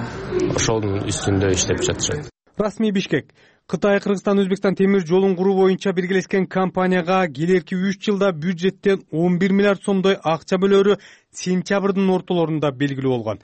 ошонун үстүндө иштеп жатышат. Расмий Бишкек Кытай, Кыргызстан, Өзбекстан темир жолун куруу боюнча биргелешкен компанияга келерки 3 жылда бюджеттен 11 миллиард сомдой акча бөлөрү сентябрдын ортолорунда белгилүү болгон.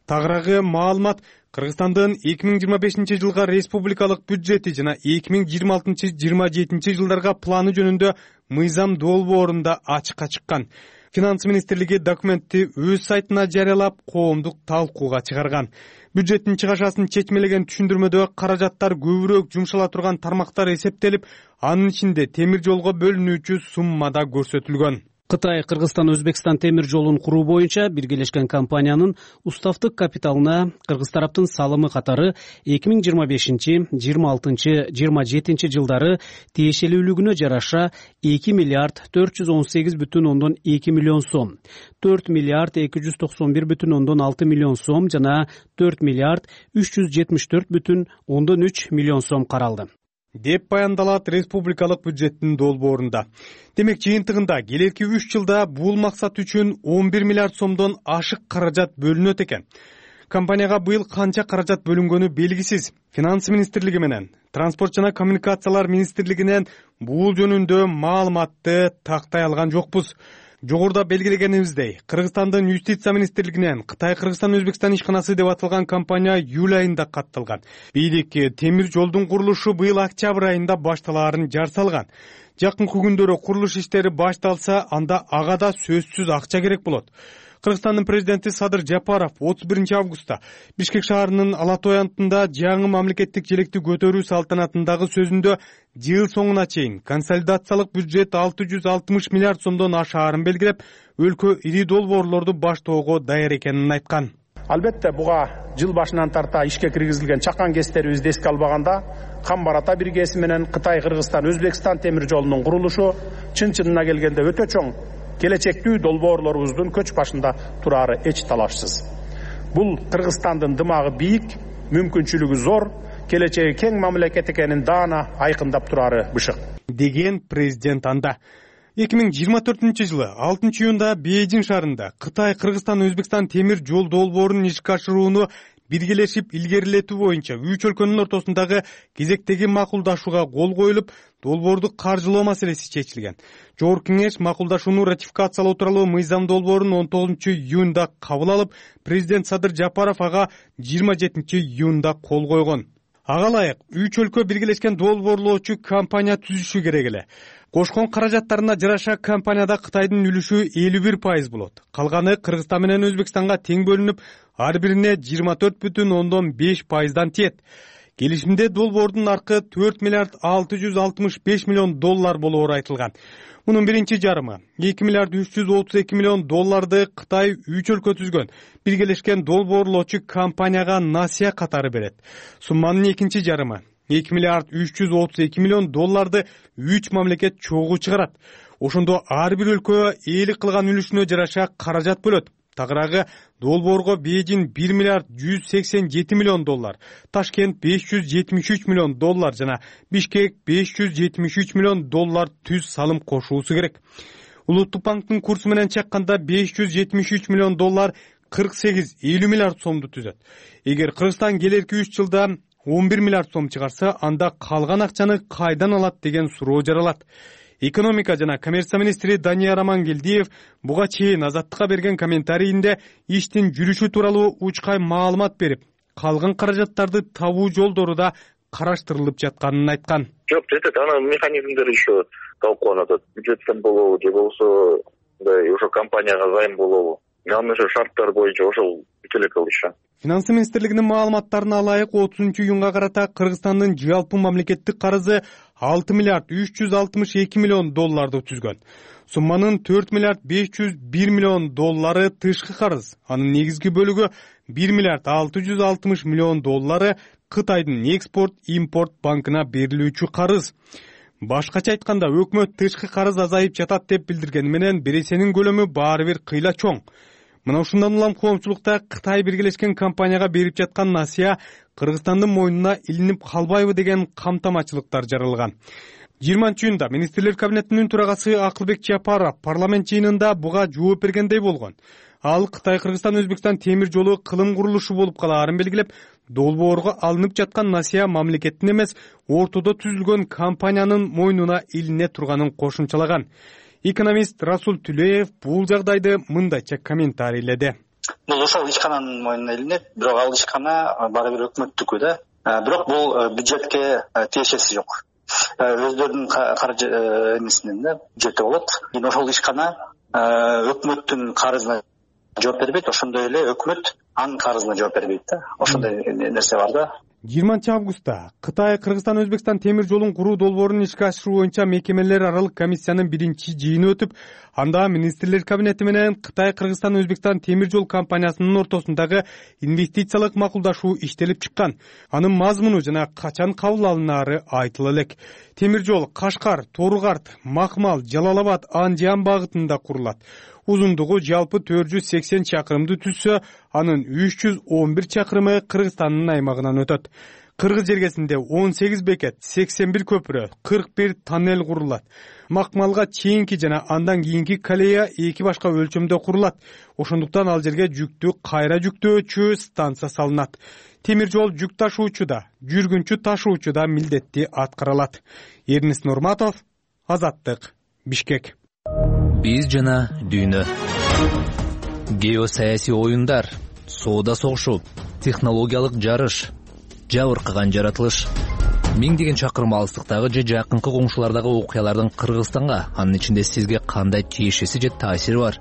Тагыраагы маалымат Кыргызстандын 2025 жылга республикалык бюджети жана 2026-27 жылдарга планы жөнүндө мыйзам долбоорунда ачыкка чыккан. Финанс министрлиги документти өз сайтына жарыялап, коомдук талкууга чыгарган. Бюджеттин чыгашасын чечмелеген түшүндүрмөдө каражаттар көбүрөөк жумшала турган тармактар эсептелип, анын ичинде темир жолго бөлүнүүчү сумма да көрсөтүлгөн. Кытай, Кыргызстан, Өзбекстан темир жолун куруу боюнча биргелешкен компаниянын уставдык капиталына кыргыз тараптын салымы катары 2025-26-27 жылдары тиешелүүлүгүнө жараша 2 миллиард 418,2 миллион сом, 4 миллиард 291,6 миллион сом жана 4 миллиард 374,3 миллион сом каралды деп баяндалат республикалык бюджеттин долбоорунда. Демек жыйынтыгында келерки 3 жылда бул максат үчүн 11 миллиард сомдон ашык каражат бөлүнөт экен. Компанияга быйыл канча каражат бөлүнгөнү белгисиз. Финанс министрлиги менен Транспорт жана коммуникациялар министрлигинен бул жөнүндө маалыматты тактай алган жокпуз. Жогоруда белгилегенибиздей, Кыргызстандын юстиция министрлигинен Кытай-Кыргызстан Өзбекстан ишканасы деп аталган компания июль айында катталган. Бийлик темир жолдун курулушу быйыл октябрь айында башталаарын жар салган. Жакынкы күндөрү курулуш иштери башталса, анда ага да сөзсүз акча керек болот. Кыргызстандын президенти Садыр Жапаров 31 августта Бишкек шаарынын Ала Той антында жаңы мамлекеттик желекти көтөрүү салтанатындагы сөзүндө жыл соңуна чейин консолидациялык бюджет 660 миллиард сомдон ашаарын белгилеп, өлкө ири долбоорлорду баштоого даяр экенин айткан. Албетте буга жыл башынан тарта ишке киргизилген чакан кестерибизди эске албаганда, Камбар Ата биргеси менен Кытай-Кыргызстан Өзбекстан темир жолунун курулушу чын-чынына келгенде өтө чоң келечектүү долбоорлорубуздун көч башында турары эч талашсыз. Бул Кыргызстандын дымагы бийик, мүмкүнчүлүгү зор, келечеги кең мамлекет экенин даана айкындап турары бышык, деген президент анда. 2024-жылы 6 июнда Бейжин шаарында Кытай, Кыргызстан, Өзбекстан темир жол долбоорун ишке ашырууну биргелешип илгерилетүү боюнча 3 өлкөнүн ортосундагы кезектеги макулдашууга кол коюлуп, долбоорду каржылоо маселеси чечилген. Жогорку кеңеш макулдашууну ратификациялоо тууралуу мыйзам долбоорун 19 июнда кабыл алып, президент Садыр Жапаров ага 27 июнда кол койгон. Ага ылайык 3 өлкө биргелешкен долбоорлоочу компания түзүшү керек эле. Кошкон каражаттарына жараша компанияда Кытайдын үлүшү 51% болот. Калганы Кыргызстан менен Өзбекстанга тең бөлүнүп, ар бирине 24,5%дан тиет. Келишимде долбоордун наркы 4 миллиард 665 миллион доллар болоору айтылган. Мунун биринчи жарымы 2 миллиард 332 миллион долларды Кытай 3 өлкө түзгөн биргелешкен долбоорлоочу компанияга насыя катары берет. Сумманын экинчи жарымы 2 миллиард 332 миллион долларды 3 мамлекет чогуу чыгарат. Ошондо ар бир өлкө ээлик кылган үлүшүнө жараша каражат бөлөт. Тагыраагы долбоорго Бейжин 1 миллиард 187 миллион доллар, Ташкент 573 миллион доллар жана Бишкек 573 миллион доллар түз салым кошуусу керек. Улуттук банктын курсу менен чакканда 573 миллион доллар 48-50 миллиард сомду түзөт. Эгер Кыргызстан келерки 3 жылда 11 миллиард сом чыгарса, анда калган акчаны кайдан алат деген суроо жаралат. Экономика жана коммерция министри Данияр Амангелдиев буга чейин Азаттыкка берген комментарийинде иштин жүрүшү тууралуу учкай маалымат берип, калган каражаттарды табуу жолдору да караштырылып жатканын айткан. Жок, жетет, анын механизмдери еще талкууланат. Бюджеттен болобу же болбосо ошо компанияга займ болобу. Анын ошо шарттары боюнча ошол бүт эле кылышы. Финансы министрлигинин маалыматтарына ылайык 30 июнга карата Кыргызстандын жалпы мамлекеттик карызы 6 миллиард 362 миллион долларды түзгөн. Сумманын 4 миллиард 501 миллион доллары тышкы карыз. Анын негизги бөлүгү 1 миллиард 660 миллион доллары Кытайдын экспорт-импорт банкына берилүүчү карыз. Башкача айтканда, өкмөт тышкы карыз азайып жатат деп билдиргени менен бересенин көлөмү баары бир кыйла чоң. Мына ушундан улам коомчулукта Кытай биргелешкен компанияга берип жаткан насыя Кыргызстандын мойнуна илинип калбайбы деген камтамачылыктар жаралган. 20-июнда министрлер кабинетинин турагасы Акылбек Жапаров парламент жыйынында буга жооп бергендей болгон. Ал Кытай-Кыргызстан Өзбекстан темир жолу кылым курулушу болуп калаарын белгилеп, долбоорго алынып жаткан насыя мамлекеттин эмес, ортодо түзүлгөн компаниянын мойнуна илине турганын кошумчалаган. Экономист Расул Түлеев бул жагдайды мындайча комментарийледи. Бул ошол ишкананын мойнуна илинет, бирок ал ишкана баары бир өкмөттүкү да. Бирок бул бюджетке тиешеси жок. Өздөрүнүн каржы эмесинен да бюджетте болот. Ошол ишкана өкмөттүн карызына жооп бербейт, ошондой эле өкмөт анын карызына жооп бербейт да. Ошондой нерсе бар да. 20 августта Кытай, Кыргызстан, Өзбекстан темир жолун куруу долбоорун ишке ашыруу боюнча мекемелер аралык комиссиянын биринчи жыйыны өтүп, анда министрлер кабинети менен Кытай, Кыргызстан, Өзбекстан темир жол компаниясынын ортосундагы инвестициялык макулдашуу иштелип чыккан. Анын мазмуну жана качан кабыл алынаары айтыла элек. Темир жол Кашкар, Тору-Карт, Макмал, Жалал-Абад, Андиан багытында курулат. Узундугу жалпы 480 чакырымды түзсө, анын 311 чакырымы Кыргызстандын аймагынан өтөт. Кыргыз жергесинде 18 бекет, 81 көпүрө, 41 тоннель курулат. Макмалга чейинки жана андан кийинки колея эки башка өлчөмдө курулат. Ошондуктан ал жерге жүктү кайра жүктөөчү станция салынат. Темир жол жүк ташуучу да, жүргүнчү ташуучу да милдетти аткара алат. Эрнис Нурматов, Азаттык, Бишкек. Биз жана дүйнө. Геосаясий оюндар, соода согушу, технологиялык жарыш, жабыркаган жаратылыш. Миңдеген чакырым алыстыктагы же жакынкы коңшулардагы окуялардын Кыргызстанга, анын ичинде сизге кандай тиешеси же таасири бар?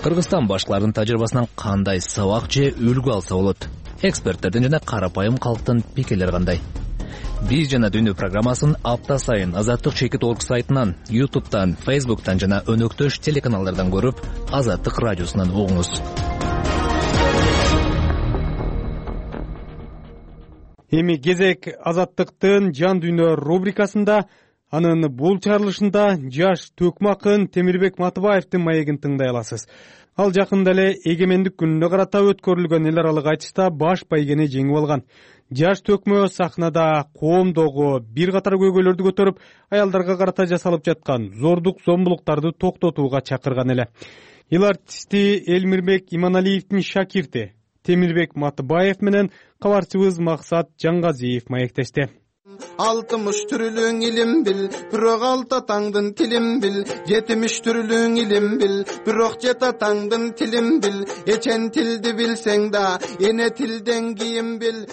Кыргызстан башкалардын тажрыйбасынан кандай сабак же үлгү алса болот? Эксперттердин жана карапайым калктын пикирлери кандай? Биз жана дүйнө программасын апта сайын Азаттык.org сайтынан, YouTube'дан, Facebook'тан жана өнөктөш телеканалдардан көрүп, Азаттык радиосунан угуңуз. Эми кезек Азаттыктын жан дүйнө рубрикасында, анын бул чыгарылышында жаш төкмө акын Темирбек Матыбаевдин маегин тыңдай аласыз. Ал жакында эле эгемендик күнүнө карата өткөрүлгөн эл аралык айтышта баш байгени жеңип алган. Жаш төкмө сахнада коомдогу бир катар көйгөйлөрдү көтөрүп, аялдарга карата жасалып жаткан зордук зомбулуктарды токтотууга чакырган эле. Эл артисти Элмирбек Иманалиевдин шакирти Темирбек Матыбаев менен кабарчыбыз Максат Жаңгазиев маектешти. 60 түрлүң илим бил, бирок алты атаңдын тилин бил. 70 түрлүң илим бил, бирок жет атаңдын тилин бил. Эчен тилди билсең да, эне тилден кийин бил.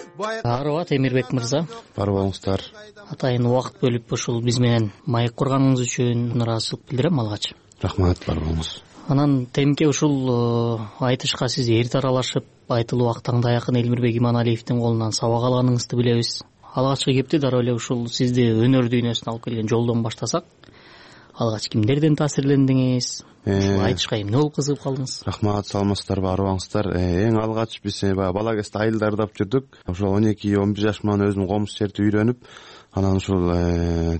Арба Темирбек мырза. Барбаңыздар. Атайын убакыт бөлүп ушул биз менен маек курганыңыз үчүн ыраазычылык билдирем алгач. Рахмат, барбаңыз. Анан темке ушул айтышка сиз эрте аралашып, айтылуу убактаңда якын Элмирбек Иманалиевдин колунан сабак алганыңызды билебиз. Алгачкы кепти дароо эле ушул сизди өнөр дүйнөсүнө алып келген жолдон баштасак, алгач кимдерден таасирлендиңиз? Айтышка эмне болуп кызыгып калдыңыз? Рахмат, саламатсыздарбы, арыбаңыздар. Эң алгач биз бала кезде айылда ырдап жүрдүк. Ошол 12-11 жаш менен өзүм комуз жерди үйрөнүп, анан ушул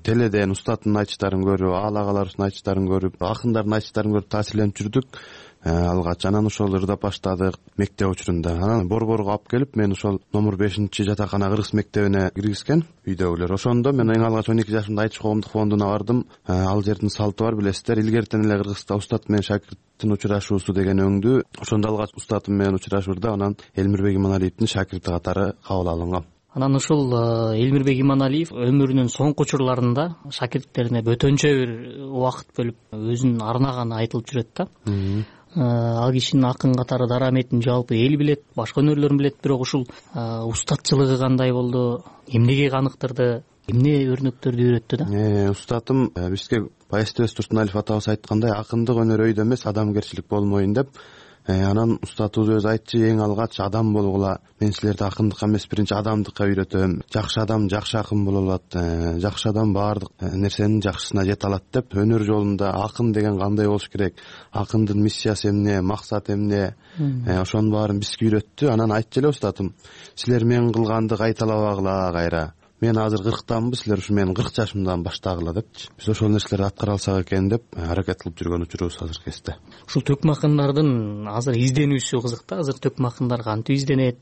теледен устаттын айтыштарын көрүп, аалагалардын айтыштарын көрүп, акындардын айтыштарын көрүп таасирленип жүрдүк. Алгач анан ошол ырдап баштадык мектеп учурунда. Анан борборго алып келип, мен ошол номер 5-жатакана кыргыз мектебине киргизген үйдөгүлөр. Ошондо мен эң алгач 12 жашымда айтыш коомдук фондуна бардым. Ал жердин салты бар, билесиздер. Илгертен эле Кыргызста устат менен шакирттин учурашуусу деген өңдү. Ошондо алгач устатым менен учурашууда, анан Элмирбек Иманалиевдин шакирти катары кабыл алынгам. Анан ушул Элмирбек Иманалиев өмүрүнүн соңку учурларында шакирттерине бөтөнчө бир убакыт бөлүп өзүн арнаганы айтылып жүрөт да. Ал кишинин акын катары дараметин жалпы эл билет, башка өнөрлөрүн билет, бирок ушул устатчылыгы кандай болду, эмнеге каныктырды, эмне өрнөктөрдү үйрөттү да? Устатым бизге Баястебес Турсуналиев атабыз айткандай, акындык өнөр өйдө эмес, адамгерчилик болмоюн деп. Анан устатыбыз өзү айтчу, эң алгач адам болгула, мен силерди акындыкка эмес, биринчи адамдыкка үйрөтөм. Жакшы адам жакшы акын боло алат, жакшы адам баардык нерсенин жакшысына жете алат деп. Өнөр жолунда акын деген кандай болуш керек, акындын миссиясы эмне, максаты эмне, ошонун баарын бизге үйрөттү. Анан айтчу эле устатым, силер мен кылганды кайталабагыла кайра. Мен азыр 40-танбы, силер ушу менин 40 жашымдан баштагыла депчи. Биз ошол нерселерди аткара алсак экен деп аракет кылып жүргөн учурубуз азыр кезде. Ушул төкмө акындардын азыр изденүүсү кызык да. Азыр төкмө акындар кантип изденет?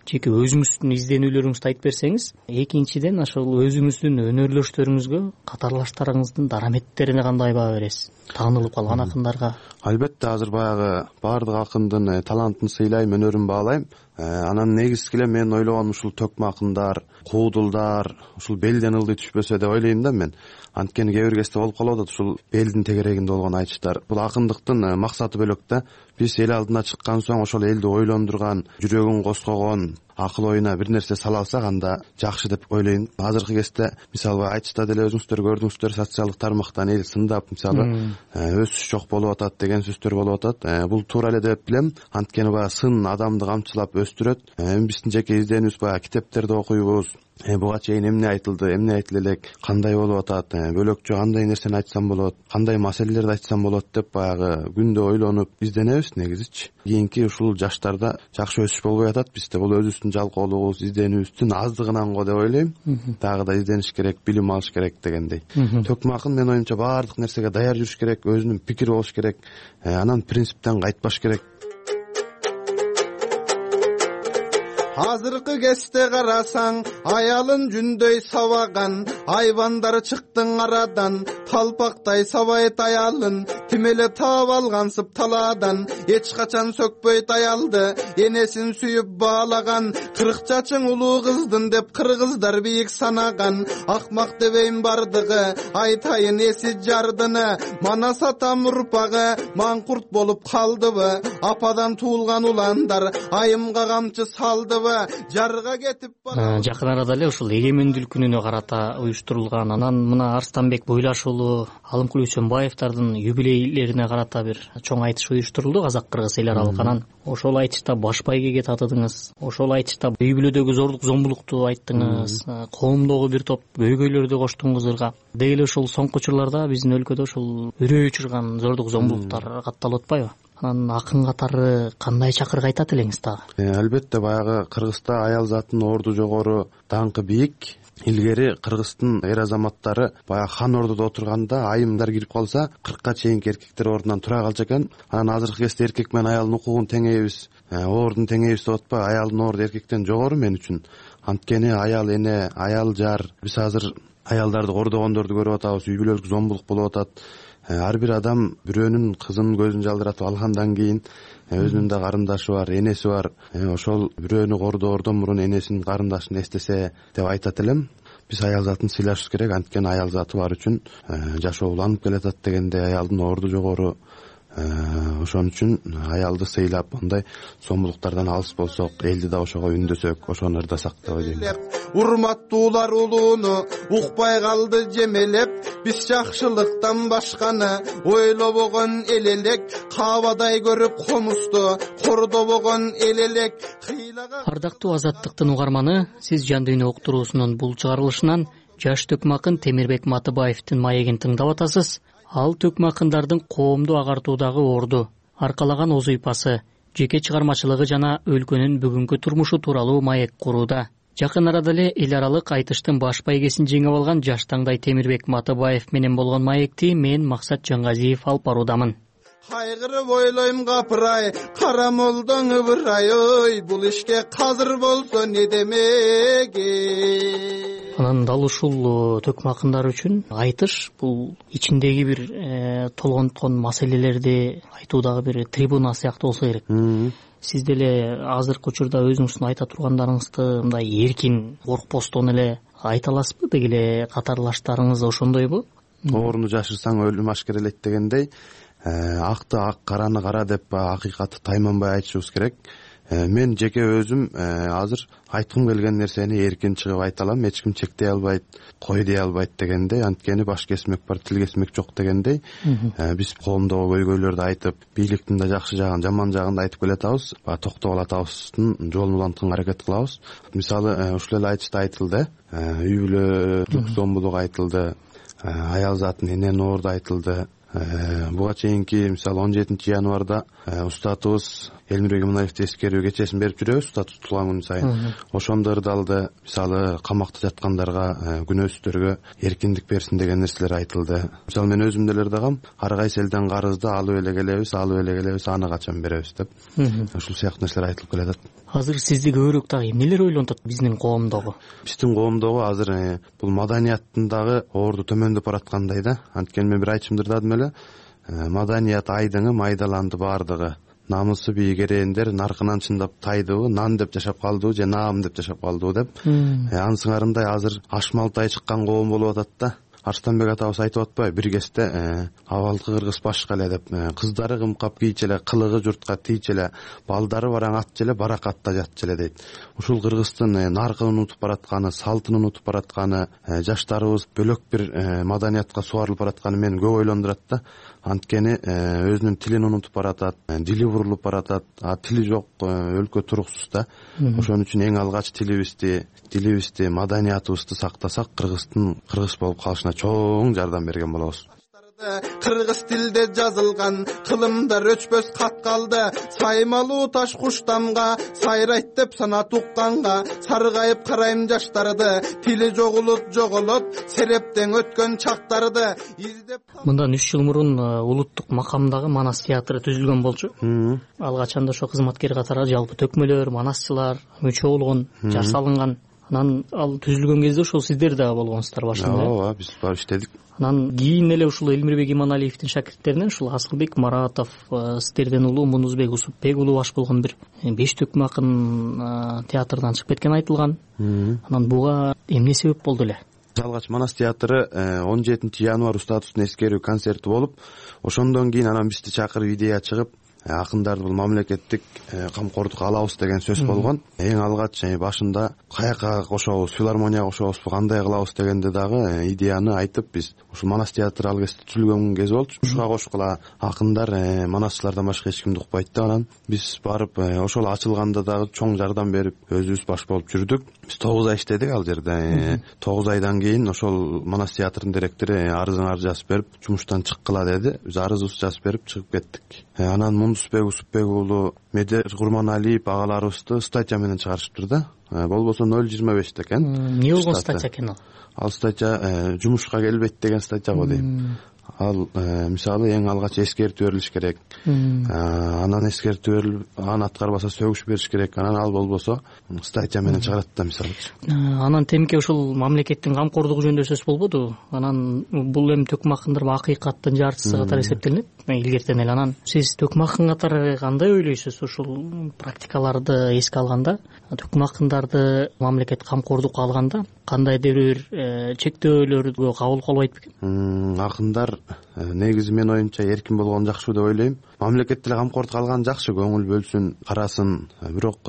Жеке өзүңүздүн изденүүлөрүңүздү айтып берсеңиз. Экинчиден, ошол өзүңүздүн өнөрлөштөрүңүзгө, катарлаштарыңыздын дараметтерине кандай баа бересиз? Таанылып калган акындарга. Албетте, азыр баягы баардык акындын талантын сыйлайм, өнөрүн баалайм. Анан негизги эле мен ойлогонум ушул төкмө акындар, куудулдар, ушул белден ылдый түшпөсө деп ойлойм да мен. Анткени кээ бир кезде болуп калып атат ушул белдин тегерегинде болгон айтыштар. Бул акындыктын максаты бөлөк да. Биз эл алдына чыккан соң ошол элди ойлондурган, жүрөгүн козгогон, акыл оюна бир нерсе сала алсак, анда жакшы деп ойлойм. Азыркы кезде мисалы айтышта деле өзүңүздөр көрдүңүздөр, социалдык тармактан эл сындап, мисалы өсүш жок болуп атат деген сөздөр болуп атат. Бул туура эле деп билем. Анткени баягы сын адамды камчылап өстүрөт. Биздин жеке изденүүбүз баягы китептерди окуйбуз. Буга чейин эмне айтылды, эмне айтыла элек, кандай болуп атат, бөлөкчө кандай нерсени айтсам болот, кандай маселелерди айтсам болот деп баягы күндө ойлонуп изденебиз негизичи. Кийинки ушул жаштарда жакшы өсүш болбой атат бизде. Бул өзүбүздүн жалкоолугубуз, изденүүбүздүн аздыгынан го деп ойлойм. Дагы да издениш керек, билим алыш керек дегендей. Төкмө акын менин оюмча баардык нерсеге даяр жүрүш керек, өзүнүн пикири болуш керек, анан принциптен кайтпаш керек. Азыркы кезде карасаң, аялын жүндөй сабаган, айбандар чыктың арадан, талпактай сабайт аялын, тим эле таап алгансып талаадан, эч качан сөкпөйт аялды, энесин сүйүп баалаган, 40 чачың улуу кыздын деп кыргыздар бийик санаган. Акмак дебейм бардыгы, айтайын эси жардыны. Манас атам урпагы маңкурт болуп калдыбы? Ападан туулган уландар айымга камчы салдыбы? Жарга кетип бара. Жакын арада эле ушул эгемендүүлүк күнүнө карата уюштурулган, анан мына Арстанбек Бойлаш уулу, Алымкул Үсөнбаевдардын юбилейлерине карата бир чоң айтыш уюштурулду Казак-Кыргыз эл аралык. Анан ошол айтышта баш байгеге татыдыңыз, ошол айтышта үй бүлөдөгү зордук зомбулукту айттыңыз, коомдогу бир топ көйгөйлөрдү коштуңуз ырга. Деги эле ушул соңку учурларда биздин өлкөдө ушул үрөй учурган зордук зомбулуктар катталып атпайбы? Анан акын катары кандай чакырык айтат элеңиз дагы? Албетте, баягы Кыргызда аял затынын орду жогору, даңкы бийик. Илгери Кыргыздын эр азаматтары баягы хан ордодо отурганда айымдар кирип калса 40ка чейинки эркектер ордунан тура калчу экен. Анан азыркы кезде эркек менен аялдын укугун теңейбиз, ордун теңейбиз деп атпайбы? Аялдын орду эркектен жогору мен үчүн. Анткени аял эне, аял жар. Биз азыр аялдарды кордогондорду көрүп атабыз, үй бүлөлүк зомбулук болуп атат. Ар бир адам бирөөнүн кызынын көзүн жалдыратып алгандан кийин өзүнүн да карындашы бар, энеси бар. Ошол бирөөнү кордоордон мурун энесин, карындашын эстесе деп айтат элем. Биз аял затын сыйлашыбыз керек, анткени аял заты бар үчүн жашоо уланып келатат дегенде аялдын орду жогору. Ошон үчүн аялды сыйлап, мындай зомбулуктардан алыс болсок, элди да ошого үндөсөк, ошону ырдасак деп ойлойм. Урматтуулар улууну укпай калды жемелеп, биз жакшылыктан башканы ойлобогон эл элек, кабадай көрүп комузду кордобогон эл элек. Ардактуу Азаттыктын угарманы, сиз Жан дүйнө уктуруусунун бул чыгарылышынан жаш төкмакын Темирбек Матыбаевдин маегин тыңдап атасыз. Ал төкмакындардын коомду агартуудагы орду, аркалаган оз ыйпасы, жеке чыгармачылыгы жана өлкөнүн бүгүнкү турмушу тууралуу маек курууда. Жакын арада эле эл аралык айтыштын баш байгесин жеңип алган жаш таңдай Темирбек Матыбаев менен болгон маекти мен Максат Жаңгазиев алып баруудамын. Кайгырып ойлойм капырай, кара молдоң ыбырай, ой, бул ишке казыр болсо не демеги. Анан дал ушул төкмакындар үчүн айтыш бул ичиндеги бир толгонткон маселелерди айтуудагы бир трибуна сыяктуу болсо керек. Сиз деле азыркы учурда өзүңүздүн айта тургандарыңызды мындай эркин, коркпостон эле айта аласызбы? Деги эле катарлаштарыңыз ошондойбу? Ооруну жашырсаң өлүм ашкерелейт дегендей, акты ак, караны кара деп акыйкатты тайманбай айтышыбыз керек. Мен жеке өзүм азыр айткым келген нерсени эркин чыгып айта алам, эч ким чектей албайт, кой дей албайт дегендей, анткени баш кесмек бар, тил кесмек жок дегендей. Биз коомдогу көйгөйлөрдү айтып, бийликтин да жакшы жагын, жаман жагын да айтып келатабыз, токтогул атабыздын жолун улантканга аракет кылабыз. Мисалы, ушул эле айтышта айтылды, үй бүлөлүк зомбулук айтылды, аял затын эненин орду айтылды. Буга чейинки мисалы 17 январда устатыбыз Элмирбек Иманалиевди эскерүү кечесин берип жүрөбүз, устат тутулган күн сайын. Ошондо ырдалды. Мисалы камакта жаткандарга, күнөөсүздөргө эркиндик берсин деген нерселер айтылды. Мисалы мен өзүм деле ырдагам, ар кайсы элден карызды алып эле келебиз, аны качан беребиз деп. Ушул сыяктуу нерселер айтылып келатат. Азыр сизди көбүрөөк дагы эмнелер ойлонтот биздин коомдогу? Биздин коомдогу азыр бул маданияттын дагы орду төмөндөп бараткандай да. Анткени мен бир айтышымды ырдадым эле. Маданият айдыңы майдаланды бардыгы. Намысы бийгерэндер наркынан чындап тайдыбы, нан деп жашап калдыбы же наам деп жашап калдыбы деп. Ансыңарындай азыр ашмалтай чыккан коом болуп атат да. Арстанбек атабыз айтып атпайбы, бир кезде абалкы кыргыз башка эле деп. Кыздары кымкап кийчү эле, кылыгы журтка тийчү эле, балдары бараң атчу эле, баракатта жатчу эле дейт. Ушул Кыргыздын наркын унутуп баратканы, салтын унутуп баратканы, жаштарыбыз бөлөк бир маданиятка субарылып баратканы мени көп ойлондурат да. Анткени өзүнүн тилин унутуп баратат, дили бурулуп баратат, тили жок өлкө туруксуз да. Ошон үчүн эң алгач тилибизди, маданиятыбызды сактасак, кыргыз болуп калышына чоң жардам берген болобуз. Кыргыз тилде жазылган кылымдар өчпөс кат калды. Саймалуу таш куштамга сайрайт деп сана тукканга, саргайып карайм жаштарды, тили жоголот, серептен өткөн чактарды издеп. Мындан 3 жыл мурун улуттук макамдагы Манас театры түзүлгөн болчу. Ал качанда ошо кызматкер катары жалпы төкмөлөр, манасчылар мүчө болгон, жар салынган. анан ал түзүлгөн кезде ошол сиздер дагы болгонсуздар башында. Ооба, биз барып иштедик. Анан кийин эле ушул Элмирбек Иманалиевдин шакирттеринен ушул Асылбек Маратов, сиздерден улуу Мунузбек Усупбек улуу баш болгон бир 5 төкмө акын театрдан чыгып кеткени айтылган. Анан буга эмне себеп болду эле? Жалгач Манас театры 17 январь Устатовдун эскерүү концерти болуп, ошондон кийин анан бизди чакырып идея чыгып, акындарды бул мамлекеттик камкордукка алабыз деген сөз болгон. Эң алгач башында каяка кошобуз, филармонияга кошобузбу, кандай кылабыз дегенде дагы идеяны айтып, биз ушул Манас театры ал кезде түзүлгөн кез болчу. Ушуга кошкула акындар манасчылардан башка эч кимди укпайт да. Анан биз барып ошол ачылганда дагы чоң жардам берип, өзүбүз баш болуп жүрдүк. Биз 9 ай иштедик ал жерде. 9 айдан кийин ошол Манас театрынын директору арызыңарды жазып берип, жумуштан чыккыла деди. Биз арызыбызды жазып берип чыгып кеттик. Анан Мунузбек Усупбек уулу Медер Курманалиев агаларыбызды статья менен чыгарышыптыр да. Болбосо 0.25 экен. Эмне болгон статья экен ал? Ал статья жумушка келбейт деген статья го дейм. Ал мисалы эң алгач эскертүү берилиш керек. Анан эскертүү берилип, аны аткарбаса сөгүш бериш керек. Анан ал болбосо статья менен чыгарат да мисалычы. Анан темке ушул мамлекеттин камкордугу жөнүндө сөз болбоду. Анан бул эми төкмө акындар акыйкаттын жартысы катары эсептелинет илгертен эле. Анан сиз төкмө акын катары кандай ойлойсуз ушул практикаларды эске алганда? Төкмө акындарды мамлекет камкордукка алганда кандайдыр бир чектөөлөргө кабыл кылбайт бекен? Акындар негизи менин оюмча эркин болгон жакшы деп ойлойм. Мамлекет деле камкордукка алган жакшы, көңүл бөлсүн, карасын. Бирок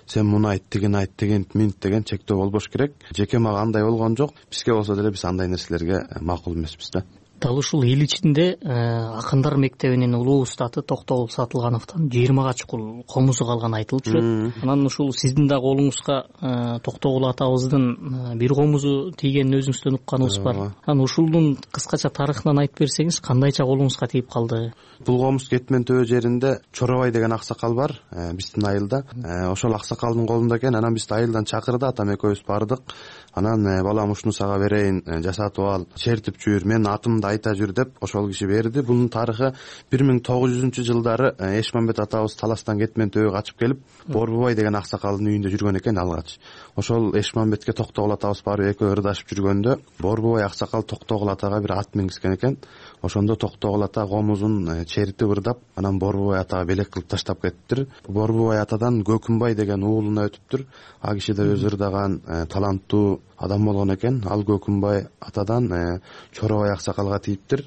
сен муну айт, тигин айт, тигин минт деген чектөө болбош керек. Жеке мага андай болгон жок. Бизге болсо деле биз андай нерселерге макул эмеспиз да. Дал ушул эл ичинде акындар мектебинин улуу устаты Токтогул Сатылгановдон 20 чукул комузу калганы айтылып жүрөт. Анан ушул сиздин да колуңузга Токтогул атабыздын бир комузу тийгенин өзүңүздөн укканыбыз бар. Анан ушулдун кыскача тарыхынан айтып берсеңиз, кандайча колуңузга тийип калды? Бул комуз Кетмен төбө жеринде Чоробай деген аксакал бар, биздин айылда. Ошол аксакалдын колунда экен. Анан бизди айылдан чакырды, атам экөөбүз бардык. Анан балам ушуну сага берейин, жасатып ал, чертип жүр, менин атымды айта жүр деп ошол киши берди. Бунун тарыхы 1900-жылдары Эшмамбет атабыз Таластан Кетмен төбөгө качып келип, Борбубай деген аксакалдын үйүндө жүргөн экен алгач. Ошол Эшмамбетке Токтогул атабыз барып экөө ырдашып жүргөндө Борбубай аксакал Токтогул атага бир ат мингизген экен. Ошондо Токтогул ата комузун чертип ырдап, анан Борбубай атага белек кылып таштап кетиптир. Борбубай атадан Көкүмбай деген уулуна өтүптүр. А киши да өзү ырдаган таланттуу адам болгон экен. Ал Көкүмбай атадан Чоробай аксакалга тийиптир.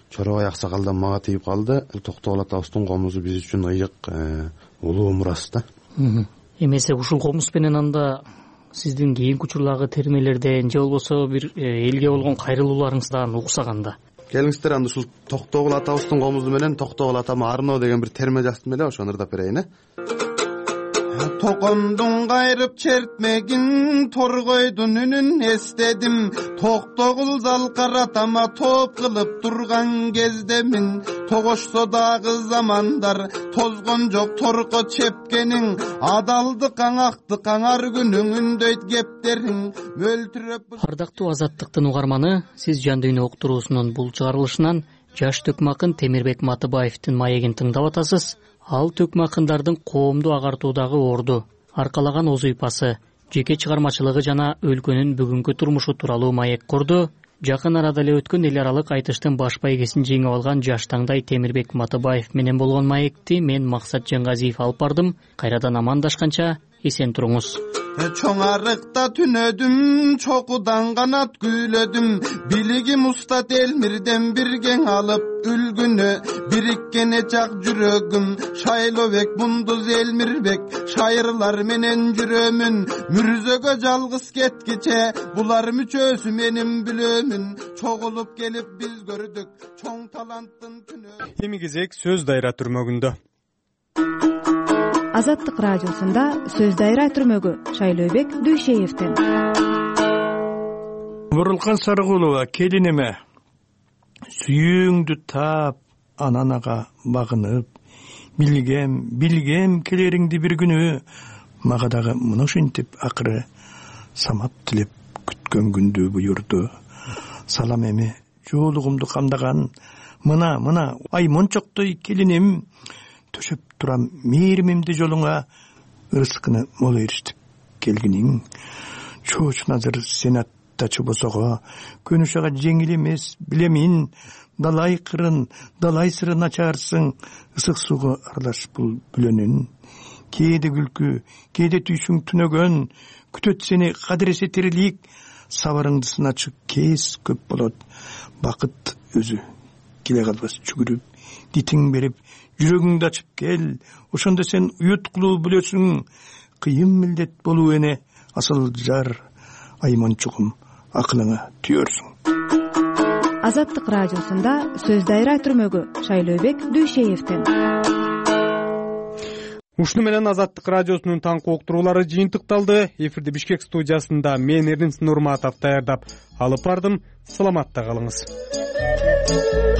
Чоробай аксакалдан мага тийип калды. Токтогул атабыздын комузу биз үчүн ыйык улуу мурас да. Эмесе ушул комуз менен анда сиздин кийинки учурдагы термелерден же болбосо бир элге болгон кайрылууларыңыздан уксаганда келиңиздер, анда ушул Токтогул атабыздын комузу менен Токтогул атама арноо деген бир терме жаздым эле, ошону ырдап берейин. Токомдун кайрып чертмегин, торгойдун үнүн эстедим. Токтогул залкаратама топ кылып турган кездемин. Тогошсо дагы замандар тозгон жок торко чепкениң. Адалдык аңактык аңар күнүң дөйт кептериң мөлтүрөп. Ардактуу Азаттыктын угарманы, сиз Жан дүйнө уктуруусунун бул чыгарылышынан жаш төкмө акын Темирбек Матыбаевдин маегин тыңдап атасыз. Ал төкмө акындардын коомду агартуудагы орду, аркалаган оз уйпасы, жеке чыгармачылыгы жана өлкөнүн бүгүнкү турмушу тууралуу маек курду. Жакын арада эле өткөн эл аралык айтыштын баш байгесин жеңип алган жаш таңдай Темирбек Матыбаев менен болгон маекти мен Максат Жангазиев алып бардым. Кайрадан амандашканча эсен туруңуз. Чоң арыкта түнөдүм, чокудан канат күйлөдүм. Билигим устат Элмирден биргең алып үлгүнө. Бириккене чак жүрөгүм, Шайлообек Мундуз Элмирбек. Шайырлар менен жүрөмүн, мүрзөгө жалгыз кеткиче. Булар мүчөсү менин билөмүн. Чогулуп келип биз көрдүк чоң таланттын түнө. Эми кезек сөз дайра түрмөгүндө. Азаттык радиосунда сөз дайра түрмөгү Шайлообек Дүйшеевден. Бурулкан Сарыгулова, келиниме сүйүүңдү таап, ананага багынып, билгем келериңди бир күнү. Мага дагы мына ушинтип акыры самат тилеп күткөн күндү буйурду. Салам эми жоолугумду камдаган мына ай мончоктой келиним, төшөп турам мээримимди жолуңа, ырыскыны мол ээрчитип келгиниң. чоочун азыр сенатта чобосого көнүш ага жеңил эмес, билемин. Далай кырын, далай сырын ачарсың, ысык сууга аралаш бул бүлөнүн. Кээде күлкү, кээде түйшүң түнөгөн, күтөт сени кадыресе тирилик, сабарыңды сыначы кез көп болот. Бакыт өзү келе калбас жүгүрүп, дитиң берип, жүрөгүңдү ачып кел, ошондо сен уюткулуу билесиң, кыйын милдет болуу эне, асыл жар, айманчугум акылыңа түйөрсүң. Азаттык радиосунда сөз дайра түрмөгү Шайлообек Дүйшеевден. Ушуну менен Азаттык радиосунун таңкы уктуруулары жыйынтыкталды. Эфирди Бишкек студиясында мен Эрдин Нурматов даярдап алып бардым. Саламатта калыңыз.